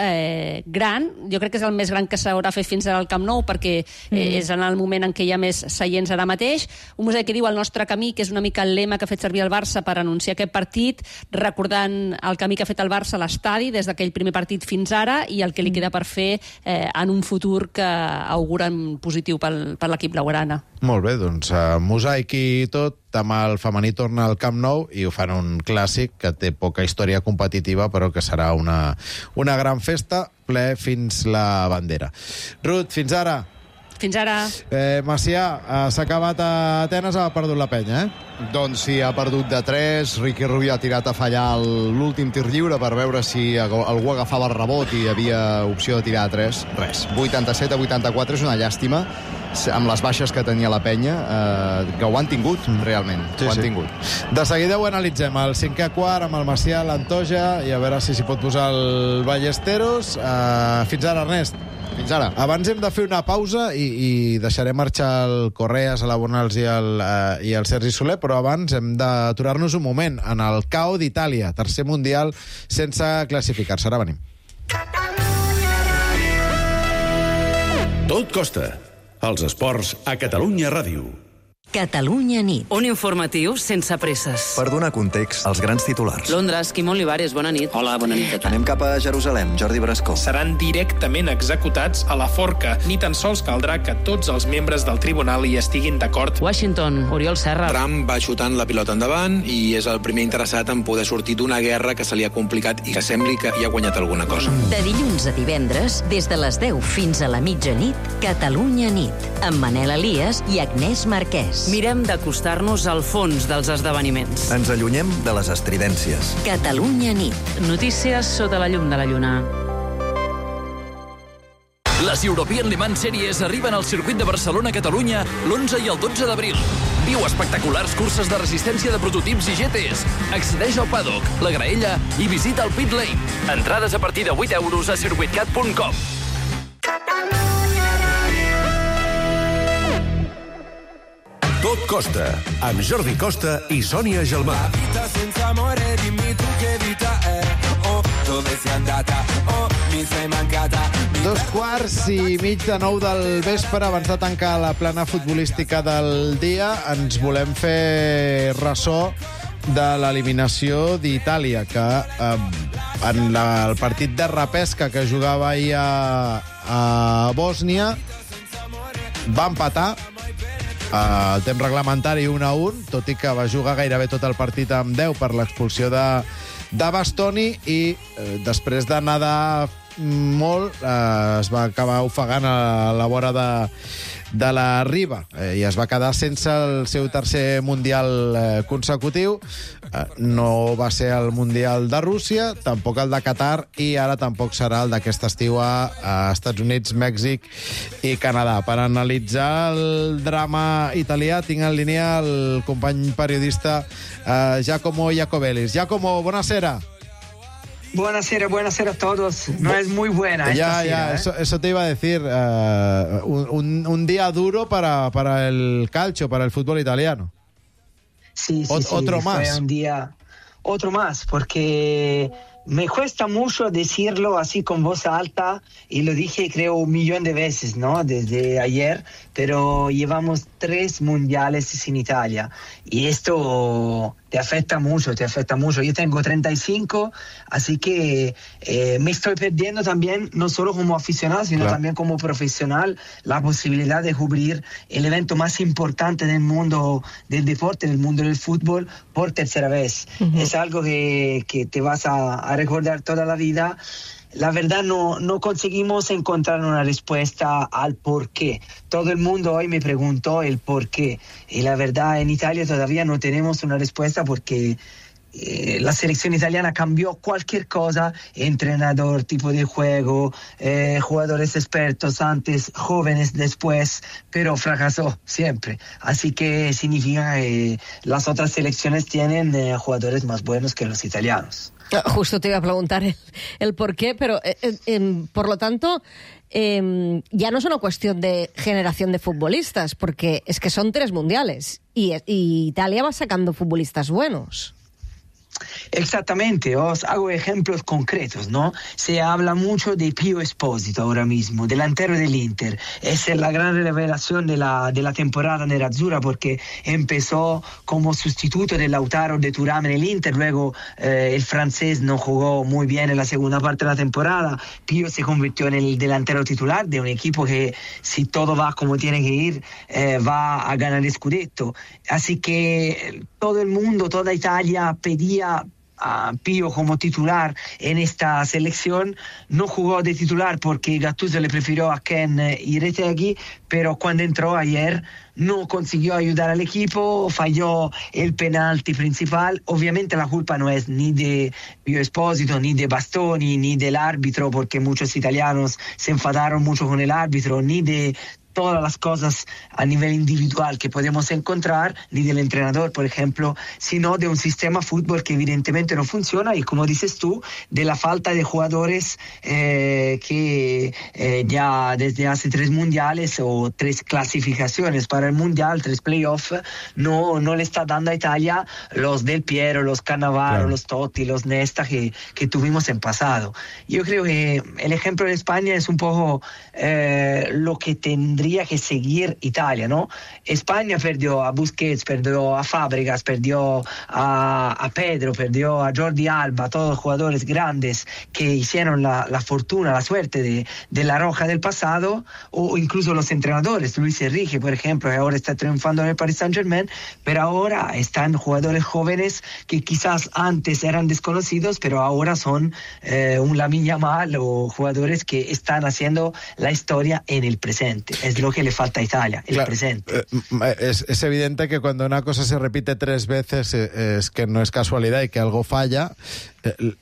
gran, jo crec que és el més gran que s'haurà fet fins ara al Camp Nou, perquè és en el moment en què hi ha més seients ara mateix. Un mosaic que diu el nostre camí, que és una mica el lema que ha fet servir el Barça per anunciar aquest partit, recordant el camí que ha fet el Barça a l'estadi des d'aquell primer partit fins ara i el que li queda per fer en un futur que auguren positiu per l'equip blaugrana. Molt bé, doncs mosaic i tot. Demà el femení torna al Camp Nou i ho fan un clàssic que té poca història competitiva, però que serà una gran festa, ple fins la bandera. Ruth, fins ara. Fins ara. Macià, s'ha acabat a Atenes, ha perdut la penya, Doncs sí, ha perdut de 3. Riqui Rubio ha tirat a fallar l'últim tir lliure per veure si algú agafava el rebot i hi havia opció de tirar a 3. Res, 87-84 és una llàstima, amb les baixes que tenia la penya, que ho han tingut, realment. Ho han tingut. De seguida ho analitzem, el 5è quart amb el Macià, l'Antoja, i a veure si s'hi pot posar el Ballesteros. Fins ara, Ernest. Fins ara. Abans hem de fer una pausa i deixarem marxar el Correas, a la Bonals i el Sergi Soler, però abans hem d'aturar-nos un moment en el KO d'Itàlia, tercer mundial sense classificar-se. Ara venim. Tot costa. Els esports a Catalunya Ràdio. Catalunya nit. Un informatiu sense presses. Per donar context, els grans titulars. Londres, Quim Olivares, bona nit. Hola, bona nit. Anem cap a Jerusalem, Jordi Brascó. Seran directament executats a la forca. Ni tan sols caldrà que tots els membres del tribunal hi estiguin d'acord. Washington, Oriol Serra. Trump va xutant la pilota endavant i és el primer interessat en poder sortir d'una guerra que se li ha complicat i que sembli que hi ha guanyat alguna cosa. De dilluns a divendres, des de les 10 fins a la mitjanit, Catalunya nit, amb Manel Elias i Agnès Marquès. Mirem d'acostar-nos al fons dels esdeveniments. Ens allunyem de les estridències. Catalunya nit. Notícies sota la llum de la lluna. Les European Le Mans Series arriben al circuit de Barcelona-Catalunya l'11 i el 12 d'abril. Viu espectaculars curses de resistència de prototips i GTs. Accedeix al paddock, la graella i visita el pit lane. Entrades a partir de 8 euros a circuitcat.com. Tot costa, amb Jordi Costa i Sònia Gelmà. Senza amore, dimmi tu che vita è. Oh, dove sei andata? Oh, mi sei mancata. 2:15 del vespre, abans de tancar la plana futbolística del dia, ens volem fer ressò de l'eliminació d'Itàlia, que en el partit de repesca que jugava ahir a Bòsnia va empatar el temps reglamentari 1-1, tot i que va jugar gairebé tot el partit amb 10 per l'expulsió de Bastoni i després de nedar molt es va acabar ofegant a la vora de la Riba i es va quedar sense el seu tercer Mundial consecutiu. No va ser el Mundial de Rússia, tampoc el de Qatar i ara tampoc serà el d'aquest estiu a Estats Units, Mèxic i Canadà. Per analitzar el drama italià tinc en línia el company periodista Giacomo Iacobellis. Giacomo, buonasera. Buonasera a todos. No es muy buena esta cena, eso te iba a decir. Un día duro para el calcio, para el fútbol italiano. Sí, otro más. Fue un día, otro más, porque me cuesta mucho decirlo así con voz alta, y lo dije creo 1 millón de veces, ¿no? Desde ayer, pero llevamos 3 mundiales sin Italia, y esto te afecta mucho. Yo tengo 35, así que me estoy perdiendo también, no solo como aficionado, sino también como profesional, la posibilidad de cubrir el evento más importante del mundo del deporte, del mundo del fútbol, por tercera vez. Es algo que te vas a recordar toda la vida. La verdad no conseguimos encontrar una respuesta al por qué. Todo el mundo hoy me preguntó el por qué. Y la verdad, en Italia todavía no tenemos una respuesta porque la selección italiana cambió cualquier cosa, entrenador, tipo de juego, jugadores expertos antes, jóvenes después, pero fracasó siempre. Así que significa que las otras selecciones tienen jugadores más buenos que los italianos. Justo te iba a preguntar el por qué, pero por lo tanto ya no es una cuestión de generación de futbolistas, porque es que son 3 mundiales y Italia va sacando futbolistas buenos. Exactamente, os hago ejemplos concretos, ¿no? Se habla mucho de Pio Esposito ahora mismo, delantero del Inter. Es la gran revelación de la temporada nerazzurra, porque empezó como sustituto de Lautaro de Thuram en el Inter, luego el francés no jugó muy bien en la segunda parte de la temporada. Pio se convirtió en el delantero titular de un equipo que, si todo va como tiene que ir, va a ganar el Scudetto. Así que todo el mundo, toda Italia pedía a Pio como titular en esta selección. No jugó de titular porque Gattuso le prefirió a Ken y Retegui, pero cuando entró ayer no consiguió ayudar al equipo, falló el penalti principal. Obviamente la culpa no es ni de Pio Esposito, ni de Bastoni, ni del árbitro, porque muchos italianos se enfadaron mucho con el árbitro, ni de todas las cosas a nivel individual que podemos encontrar, ni del entrenador, por ejemplo, sino de un sistema fútbol que evidentemente no funciona, y como dices tú, de la falta de jugadores que ya desde hace 3 mundiales o 3 clasificaciones para el mundial, 3 playoffs, no le está dando a Italia los Del Piero, los Cannavaro, los Totti, los Nesta que tuvimos en pasado. Yo creo que el ejemplo de España es un poco lo que tendría que seguir Italia, ¿no? España perdió a Busquets, perdió a Fábregas, perdió a Pedro, perdió a Jordi Alba, todos jugadores grandes que hicieron la fortuna, la suerte de la Roja del pasado, o incluso los entrenadores, Luis Enrique, por ejemplo, que ahora está triunfando en el Paris Saint-Germain, pero ahora están jugadores jóvenes que quizás antes eran desconocidos, pero ahora son un Lamine Yamal o jugadores que están haciendo la historia en el presente. Es lo que le falta a Italia, el presente. Es evidente que cuando una cosa se repite 3 veces es que no es casualidad y que algo falla.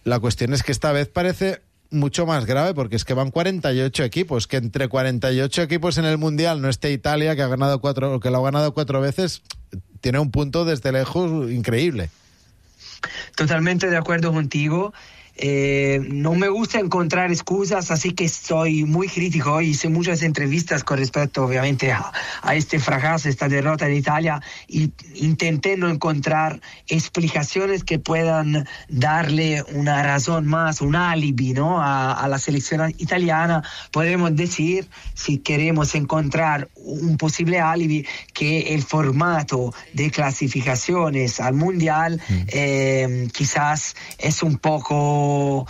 La cuestión es que esta vez parece mucho más grave, porque es que van 48 equipos, que entre 48 equipos en el Mundial no esté Italia, que lo ha ganado 4 veces, tiene un punto desde lejos increíble. Totalmente de acuerdo contigo. No me gusta encontrar excusas, así que soy muy crítico. Hice muchas entrevistas con respecto, obviamente, a este fracaso, esta derrota de Italia, y intenté no encontrar explicaciones que puedan darle una razón más, un alibi, ¿no? a la selección italiana. Podemos decir, si queremos encontrar un posible alibi, que el formato de clasificaciones al Mundial quizás es un poco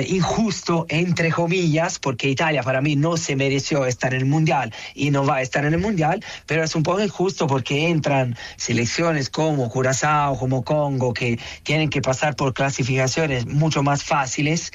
injusto, entre comillas, porque Italia para mí no se mereció estar en el Mundial y no va a estar en el Mundial, pero es un poco injusto porque entran selecciones como Curazao, como Congo, que tienen que pasar por clasificaciones mucho más fáciles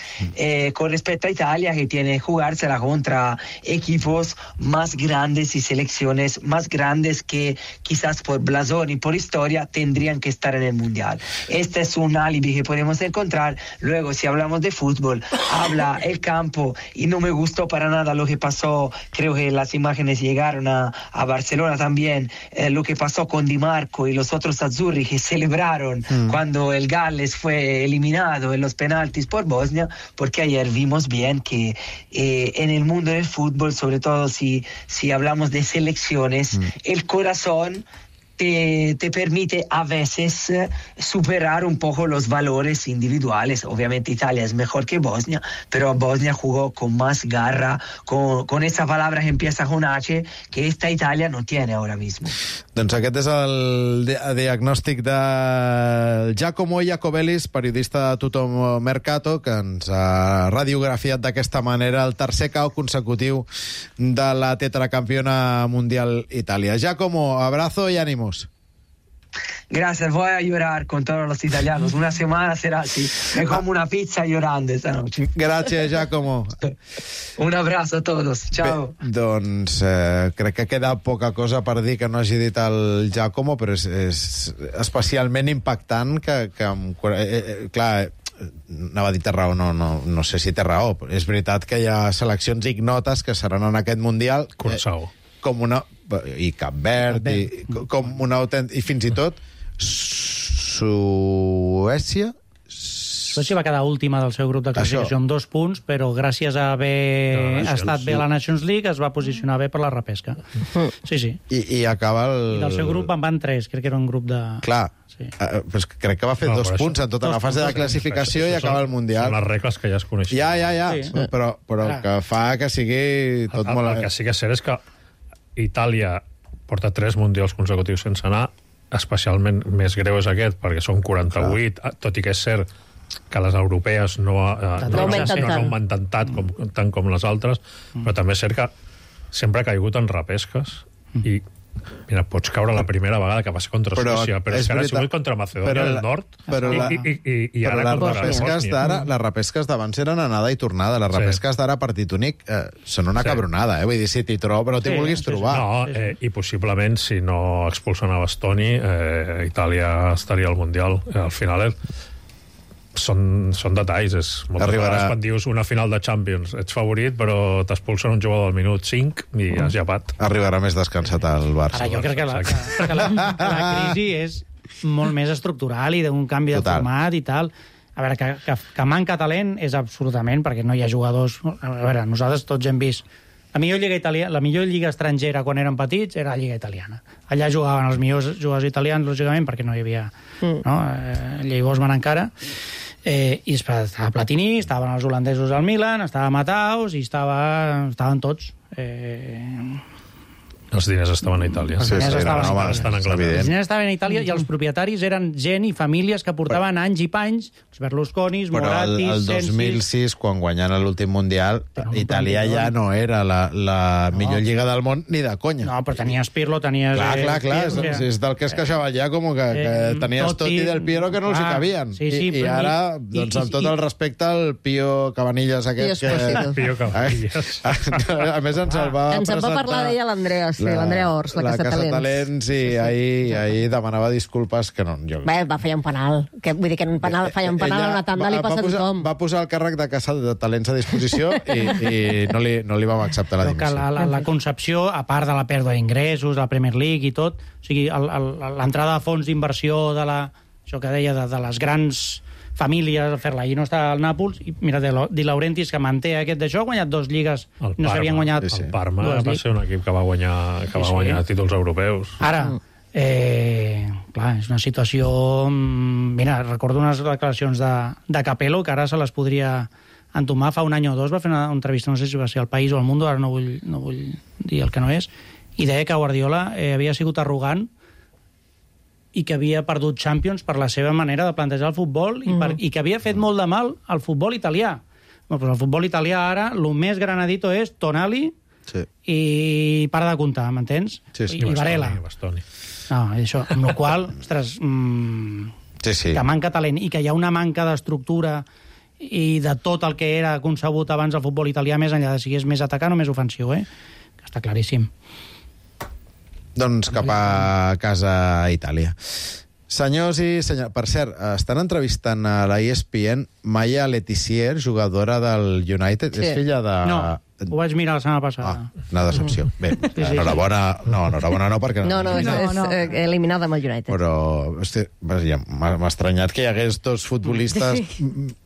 con respecto a Italia, que tiene que jugársela contra equipos más grandes y selecciones selecciones más grandes que quizás por blasón y por historia tendrían que estar en el Mundial. Este es un alibi que podemos encontrar. Luego, si hablamos de fútbol, habla el campo, y no me gustó para nada lo que pasó. Creo que las imágenes llegaron a Barcelona también, lo que pasó con Di Marco y los otros azzurri que celebraron cuando el Galles fue eliminado en los penaltis por Bosnia, porque ayer vimos bien que en el mundo del fútbol, sobre todo si hablamos de selecciones, el corazón te permite a veces superar un poco los valores individuales. Obviamente Italia es mejor que Bosnia, pero Bosnia jugó con más garra, con esa palabra que empieza con H, que esta Italia no tiene ahora mismo. Doncs aquest és el diagnòstic de Giacomo Iacobellis, periodista de Tutto Mercato, que ens ha radiografiat d'aquesta manera el tercer KO consecutiu de la tetracampiona mundial Itàlia. Giacomo, abrazo y ánimo. Gracias, voy a llorar con todos los italianos. Una semana será así. Me como una pizza llorando esta noche. Gràcies, Giacomo. Un abrazo a todos. Chao. Bé, doncs crec que queda poca cosa per dir que no hagi dit el Giacomo, però és especialment impactant que clar, anava a dir té raó, no sé si té raó. És veritat que hi ha seleccions ignotes que seran en aquest Mundial com una... i Cap Verd, i com una i fins i tot Suècia va quedar última del seu grup de classificació amb 2 punts, però gràcies a haver estat bé a la Nations League es va posicionar bé per la repesca. Sí. I acaba el... I del seu grup en van 3, crec que era un grup de... Clar, pues crec que va fer 2 punts en tota la fase de classificació i acaba el Mundial. Són les regles que ja es coneixen. Ja, però que fa que sigui tot molt... El que sí que és cert és que Itàlia porta 3 mundials consecutius sense anar, especialment més greu és aquest, perquè són 48, tot i que és cert que les europees no augmenten tant com les altres, però també és cert que sempre ha caigut en repesques i mira, pots caure la primera vegada que va ser contra Suècia, però és que ara ha sigut contra Macedònia del Nord i ara les repesques d'abans eren anada i tornada, les repesques d'ara partit únic són una cabronada, vull dir, si t'hi trobo però t'hi vulguis trobar. No, i possiblement si no expulsen a Bastoni Itàlia estaria al Mundial. Al final són detalls, moltes vegades quan dius una final de Champions ets favorit però t'expulsen un jugador del minut 5 i has llepat. Arribarà més descansat al Barça. Ara jo crec que la crisi és molt més estructural i d'un canvi de format i tal. A veure, que manca talent és absolutament, perquè no hi ha jugadors... A veure, nosaltres tots hem vist la millor lliga estrangera quan érem petits era la lliga italiana. Allà jugaven els millors jugadors italians, lògicament, perquè no hi havia llei Bosman encara. I estava Platini, estaven els holandesos al Milan, estava Mataus i estaven tots. Els diners estaven a Itàlia. Els diners estaven a Itàlia i els propietaris eren gent i famílies que portaven anys i panys, els Berlusconis, Moratti, Sensi... Però el 2006, quan guanyen l'últim Mundial, Itàlia ja no era la millor lliga del món ni de conya. No, però tenies Pirlo, tenies... Clar, és del que es queixava ja, com que tenies Totti i Del Piero que no els hi cabien. I ara, doncs, amb tot el respecte, el Pio Cabanillas aquest... Pio Cabanillas. A més, ens el va presentar... Ens en va parlar d'ella l'Andrea Ors, la Casa Talents, i ahir demanava disculpes que no... Bé, va fallar un penal. Vull dir que un penal, fallar un penal a una tanda li passa a tothom. Va posar el càrrec de Casa de Talents a disposició i no li vam acceptar la dimissió. La concepció, a part de la pèrdua d'ingressos, de la Premier League i tot, o sigui, l'entrada de fons d'inversió de això que deia, de les grans famílies a fer-la. I no està al Nàpols. I mira, Di Laurentiis, que manté aquest d'això, ha guanyat 2 lligues. No s'havien guanyat... El Parma va ser un equip que va guanyar títols europeus. Ara, clar, és una situació... Mira, recordo unes declaracions de Capello, que ara se les podria entomar. Fa un any o 2 va fer una entrevista, no sé si va ser al País o al Mundo, ara no vull dir el que no és, i deia que Guardiola havia sigut arrogant i que havia perdut Champions per la seva manera de plantejar el futbol i que havia fet molt de mal al futbol italià. Doncs el futbol italià ara, el més granadito és Tonali i para de comptar, m'entens? I Varela. No, això, amb la qual cosa, ostres, que manca talent i que hi ha una manca d'estructura i de tot el que era concebut abans el futbol italià, més enllà de si és més atacant o més ofensiu, que està claríssim. Doncs cap a casa a Itàlia. Senyors i senyors... Per cert, estan entrevistant a la ESPN Maya Letizier, jugadora del United. Sí. És filla de... No, ho vaig mirar la setmana passada. Una decepció. Bé, enhorabona... No, enhorabona no, perquè... No, és eliminada amb el United. Però, hosti, m'ha estranyat que hi hagués dos futbolistes...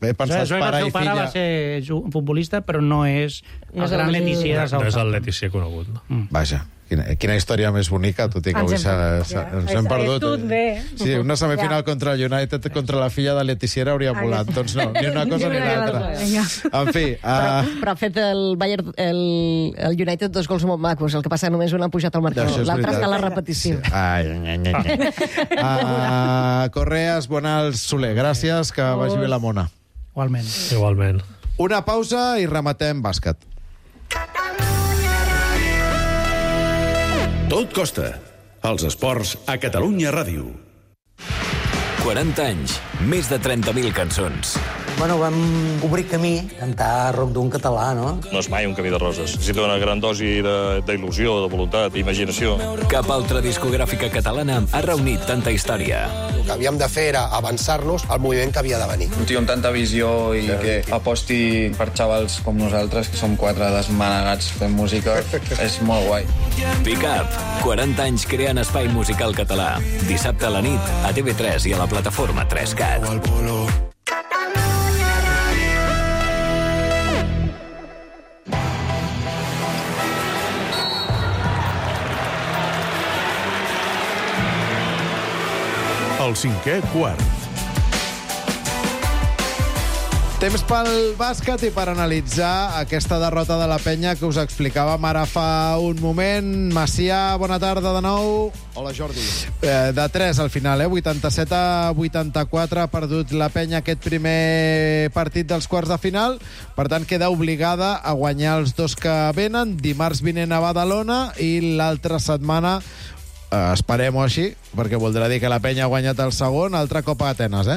He pensat pare i filla... pare va ser futbolista, però no és el gran Letizier. No és el Letizier conegut, no? Vaja. Quina història més bonica, tot i que avui ens hem perdut. Sí, una semifinal contra el United, contra la filla de Letizier hauria volat. Doncs no, ni una cosa ni l'altra. En fi... Però ha fet el Bayern, el United 2 gols molt macos, el que passa només un ha pujat al marcador, l'altre està a la repetició. Correas, Bonals, Soler, gràcies, que vagi bé la mona. Igualment. Una pausa i rematem bàsquet. Tot costa. Els esports a Catalunya Ràdio. 40 anys, més de 30.000 cançons. Bueno, vam obrir camí, cantar rock d'un català, no? No és mai un camí de roses. Necessita una gran dosi d'il·lusió, de voluntat, d'imaginació. Cap altra discogràfica catalana ha reunit tanta història. El que havíem de fer era avançar-nos al moviment que havia de venir. Un tio amb tanta visió i que aposti per xavals com nosaltres, que som 4 desmanegats fent música, és molt guai. Pick Up, 40 anys creant espai musical català. Dissabte a la nit, a TV3 i a la plataforma 3CAT. El cinquè quart. Temps pel bàsquet i per analitzar aquesta derrota de la Penya que us explicàvem ara fa un moment. Macià, bona tarda de nou. Hola, Jordi. De 3 al final, 87-84 ha perdut la Penya aquest primer partit dels quarts de final. Per tant, queda obligada a guanyar els dos que venen. Dimarts vinent a Badalona i l'altra setmana esperem-ho així, perquè voldrà dir que la Penya ha guanyat el segon, altre cop a Atenes,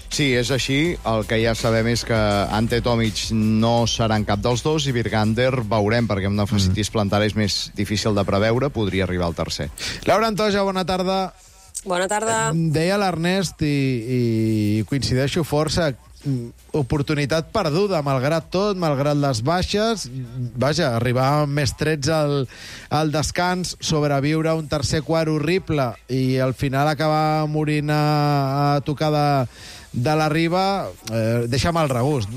Sí, és així. El que ja sabem és que Ante Tomic no serà en cap dels dos i Virgander veurem, perquè amb una fascitis plantar és més difícil de preveure, podria arribar al tercer. Laura Antoja, bona tarda. Bona tarda. Deia l'Ernest i coincideixo força, oportunitat perduda, malgrat tot, malgrat les baixes. Vaja, arribar amb més 13 al descans, sobreviure un tercer quart horrible i al final acabar morint a tocar de la riba, deixa mal regust.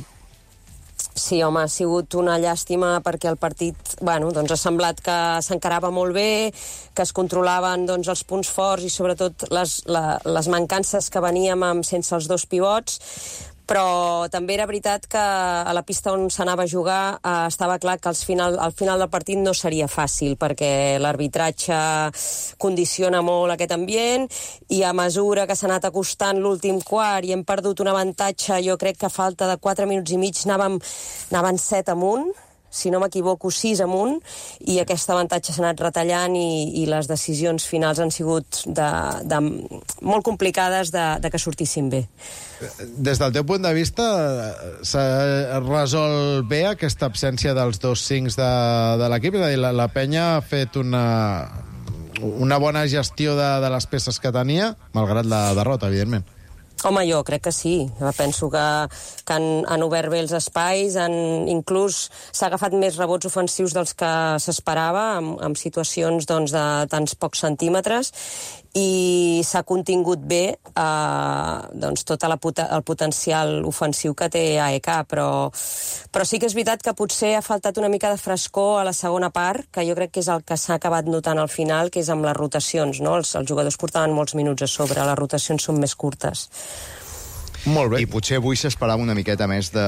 Sí, home, ha sigut una llàstima perquè el partit, bueno, doncs ha semblat que s'encarava molt bé, que es controlaven doncs, els punts forts i sobretot les mancances que veníem sense els dos pivots, però també era veritat que a la pista on s'anava a jugar estava clar que al final del partit no seria fàcil, perquè l'arbitratge condiciona molt aquest ambient i a mesura que s'ha anat acostant l'últim quart i hem perdut un avantatge, jo crec que a falta de 4 minuts i mig anaven 7 amunt, si no m'equivoco, 6 amunt, i aquest avantatge s'ha anat retallant i les decisions finals han sigut molt complicades de que sortissin bé. Des del teu punt de vista, s'ha resolt bé aquesta absència dels dos 5 de l'equip? És a dir, la Penya ha fet una bona gestió de les peces que tenia, malgrat la derrota, evidentment. Home, jo crec que sí. Penso que han obert bé els espais, inclús s'ha agafat més rebots ofensius dels que s'esperava, amb situacions doncs, de tants pocs centímetres, i s'ha contingut bé doncs, tot el potencial ofensiu que té AEK, però sí que és veritat que potser ha faltat una mica de frescor a la segona part, que jo crec que és el que s'ha acabat notant al final, que és amb les rotacions, no? Els jugadors portaven molts minuts a sobre, les rotacions són més curtes. Molt bé. I potser avui s'esperava una miqueta més de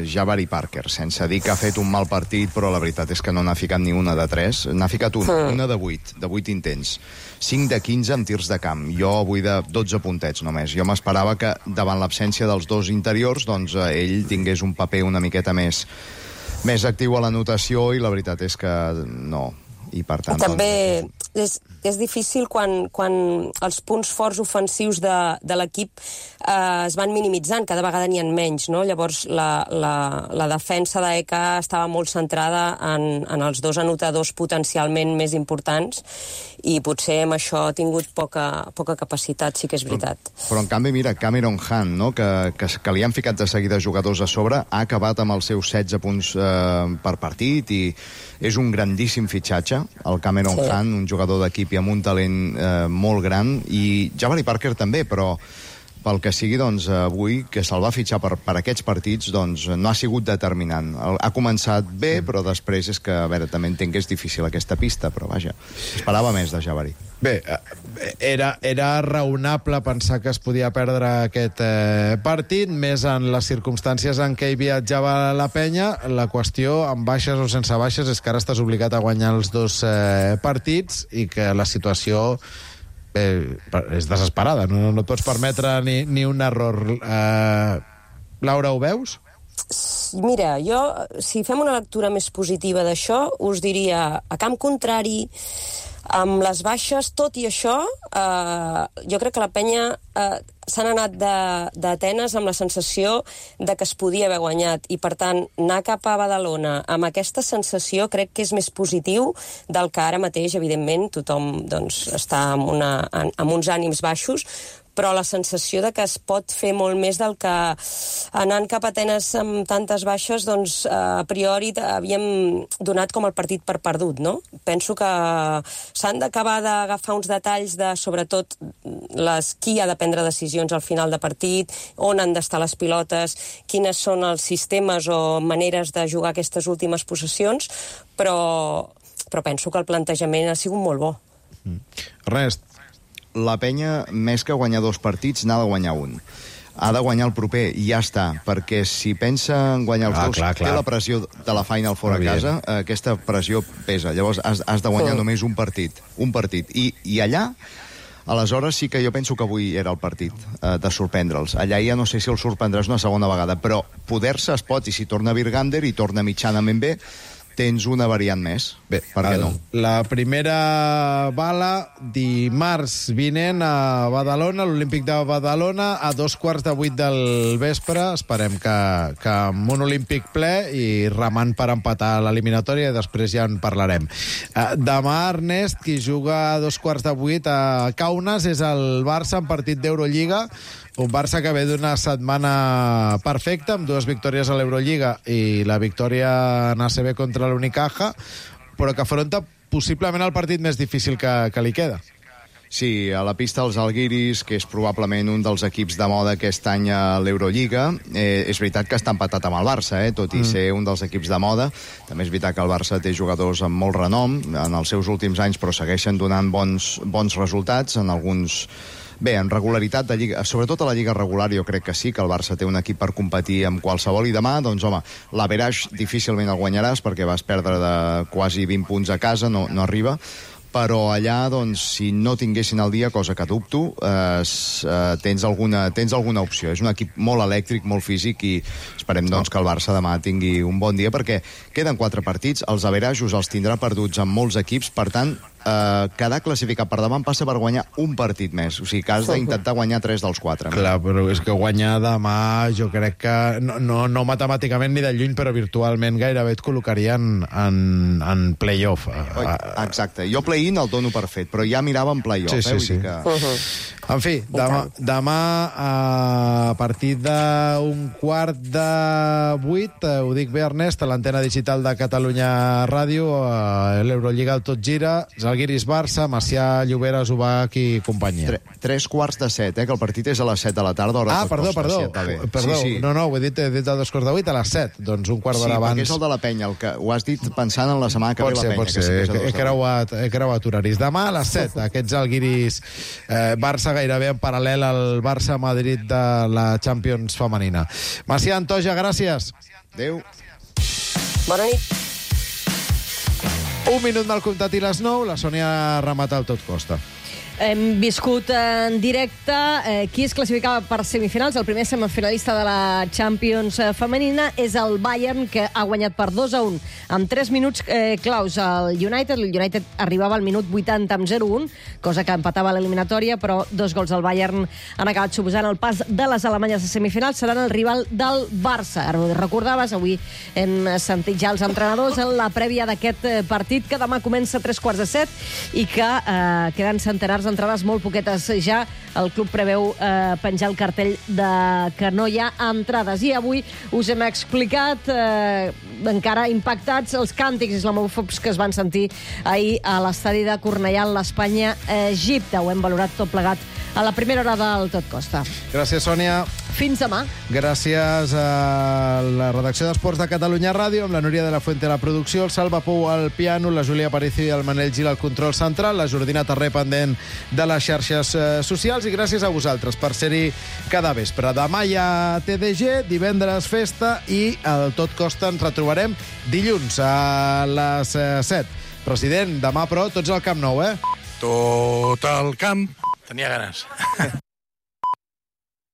Jabari Parker, sense dir que ha fet un mal partit, però la veritat és que no n'ha ficat ni una de 3. N'ha ficat una de 8 intents. 5 de 15 amb tirs de camp. Jo avui de 12 puntets només. Jo m'esperava que davant l'absència dels dos interiors, doncs ell tingués un paper una miqueta més actiu a l'anotació i la veritat és que no. I per tant... També és difícil quan els punts forts ofensius de l'equip es van minimitzant, cada vegada n'hi ha menys, no? Llavors la defensa d'EK estava molt centrada en els dos anotadors potencialment més importants i potser amb això ha tingut poca capacitat, sí que és veritat. Però en canvi, mira, Cameron Hunt, no? que li han ficat de seguida jugadors a sobre, ha acabat amb els seus 16 punts per partit i és un grandíssim fitxatge, el Cameron Hunt, un jugador d'equip i amb un talent molt gran, i Jabari Parker també, però pel que sigui, doncs, avui, que se'l va fitxar per aquests partits, doncs, no ha sigut determinant. Ha començat bé, però després és que, a veure, també entenc que és difícil aquesta pista, però vaja, esperava més de Jabari. Bé, era raonable pensar que es podia perdre aquest partit, més en les circumstàncies en què hi viatjava la penya. La qüestió, amb baixes o sense baixes, és que ara estàs obligat a guanyar els dos partits i que la situació és desesperada, no et pots permetre ni un error. Laura, ho veus? Mira, jo, si fem una lectura més positiva d'això, us diria, a camp contrari, amb les baixes, tot i això, jo crec que la penya s'han anat d'Atenes amb la sensació de que es podia haver guanyat i, per tant, anar cap a Badalona amb aquesta sensació crec que és més positiu del que ara mateix, evidentment, tothom doncs, està amb uns ànims baixos, però la sensació de que es pot fer molt més del que anant cap a Atenes amb tantes baixes, doncs a priori havíem donat com el partit per perdut, no? Penso que s'han d'acabar d'agafar uns detalls de, sobretot, qui ha de prendre decisions al final de partit, on han d'estar les pilotes, quines són els sistemes o maneres de jugar aquestes últimes possessions, però penso que el plantejament ha sigut molt bo. Ernest, la penya, més que guanyar dos partits, n'ha de guanyar un. Ha de guanyar el proper i ja està, perquè si pensa en guanyar els dos, té la pressió de la Final Four a casa, aquesta pressió pesa. Llavors has de guanyar només un partit. I allà, aleshores sí que jo penso que avui era el partit de sorprendre'ls. Allà ja no sé si els sorprendràs una segona vegada, però poder-se es pot, i si torna Virgander i torna mitjanament bé, tens una variant més. Bé, per què no? La primera bala, dimarts vinent a Badalona, l'Olímpic de Badalona, a 7:15 del vespre. Esperem que amb un Olímpic ple i remant per empatar l'eliminatòria, i després ja en parlarem. Demà, Ernest, qui juga a 7:15 a Kaunas és el Barça en partit d'Eurolliga. Un Barça que ve d'una setmana perfecta, amb 2 victòries a l'Eurolliga i la victòria en ACB contra l'Unicaja, però que afronta possiblement el partit més difícil que li queda. Sí, a la pista dels Algiris, que és probablement un dels equips de moda aquest any a l'Eurolliga. És veritat que està empatat amb el Barça, tot i ser un dels equips de moda. També és veritat que el Barça té jugadors amb molt renom en els seus últims anys, però segueixen donant bons resultats en alguns... Bé, en regularitat de lliga, sobretot a la lliga regular, jo crec que sí, que el Barça té un equip per competir amb qualsevol, i demà, doncs, home, l'Average difícilment el guanyaràs perquè vas perdre de quasi 20 punts a casa, no arriba, però allà, doncs, si no tinguessin el dia, cosa que dubto, tens alguna opció. És un equip molt elèctric, molt físic, i esperem, doncs, que el Barça demà tingui un bon dia, perquè queden 4 partits, els averages els tindrà perduts amb molts equips, per tant, quedar classificat per davant passa per guanyar un partit més, o sigui que has d'intentar guanyar 3 dels 4. Clar, però és que guanyar demà jo crec que no matemàticament ni de lluny, però virtualment gairebé et col·locarien en play-off. Exacte, jo play-in el dono per fet, però ja mirava en play-off. Sí. En fi, demà a partir d'un 7:15, ho dic bé, Ernest, a l'antena digital de Catalunya Ràdio, a l'Eurolliga el Tot Gira, Zalgiris Barça, Macià Lloberes, Ubach i companyia. 7:15, que el partit és a les 7 de la tarda. Perdó. Sí. No, ho he dit a 2:15, a les 7, doncs un quart d'hora abans. Sí, perquè és el de la penya, el que ho has dit pensant en la setmana que ve la penya. Pot ser, he creuat horaris. Demà a les 7, aquests Zalgiris Barça gairebé en paral·lel al Barça-Madrid de la Champions femenina. Macià Antoja, gràcies. Adéu. Bona nit. Un minut mal comptat i les 9, la Sònia remata el Tot Costa. Hem viscut en directe qui es classificava per semifinals. El primer semifinalista de la Champions femenina és el Bayern, que ha guanyat per 2-1 en 3 minuts claus al United. El United arribava al minut 80 amb 0-1, cosa que empatava l'eliminatòria, però 2 gols al Bayern han acabat suposant el pas de les alemanyes a semifinals. Seran el rival del Barça. Ara ho recordaves, avui hem sentit ja els entrenadors en la prèvia d'aquest partit, que demà comença a 6:45 i que queden centenars d'entrades, molt poquetes ja. El club preveu penjar el cartell que no hi ha entrades. I avui us hem explicat, encara impactats, els càntics islamòfobs que es van sentir ahir a l'estadi de Cornellà, en l'Espanya-Egipte. Ho hem valorat tot plegat a la primera hora del Tot Costa. Gràcies, Sònia. Fins demà. Gràcies a la redacció d'Esports de Catalunya Ràdio, amb la Núria de la Fuente a la producció, el Salva Pou al piano, la Júlia Aparicio i el Manel Gil al control central, la Jordina Terré pendent de les xarxes socials, i gràcies a vosaltres per ser-hi cada vespre. Demà hi ha TDG, divendres festa, i el Tot Costa ens retrobarem dilluns a les 7. President, demà, però, tots al Camp Nou, eh? Tot el camp. Tenia ganes.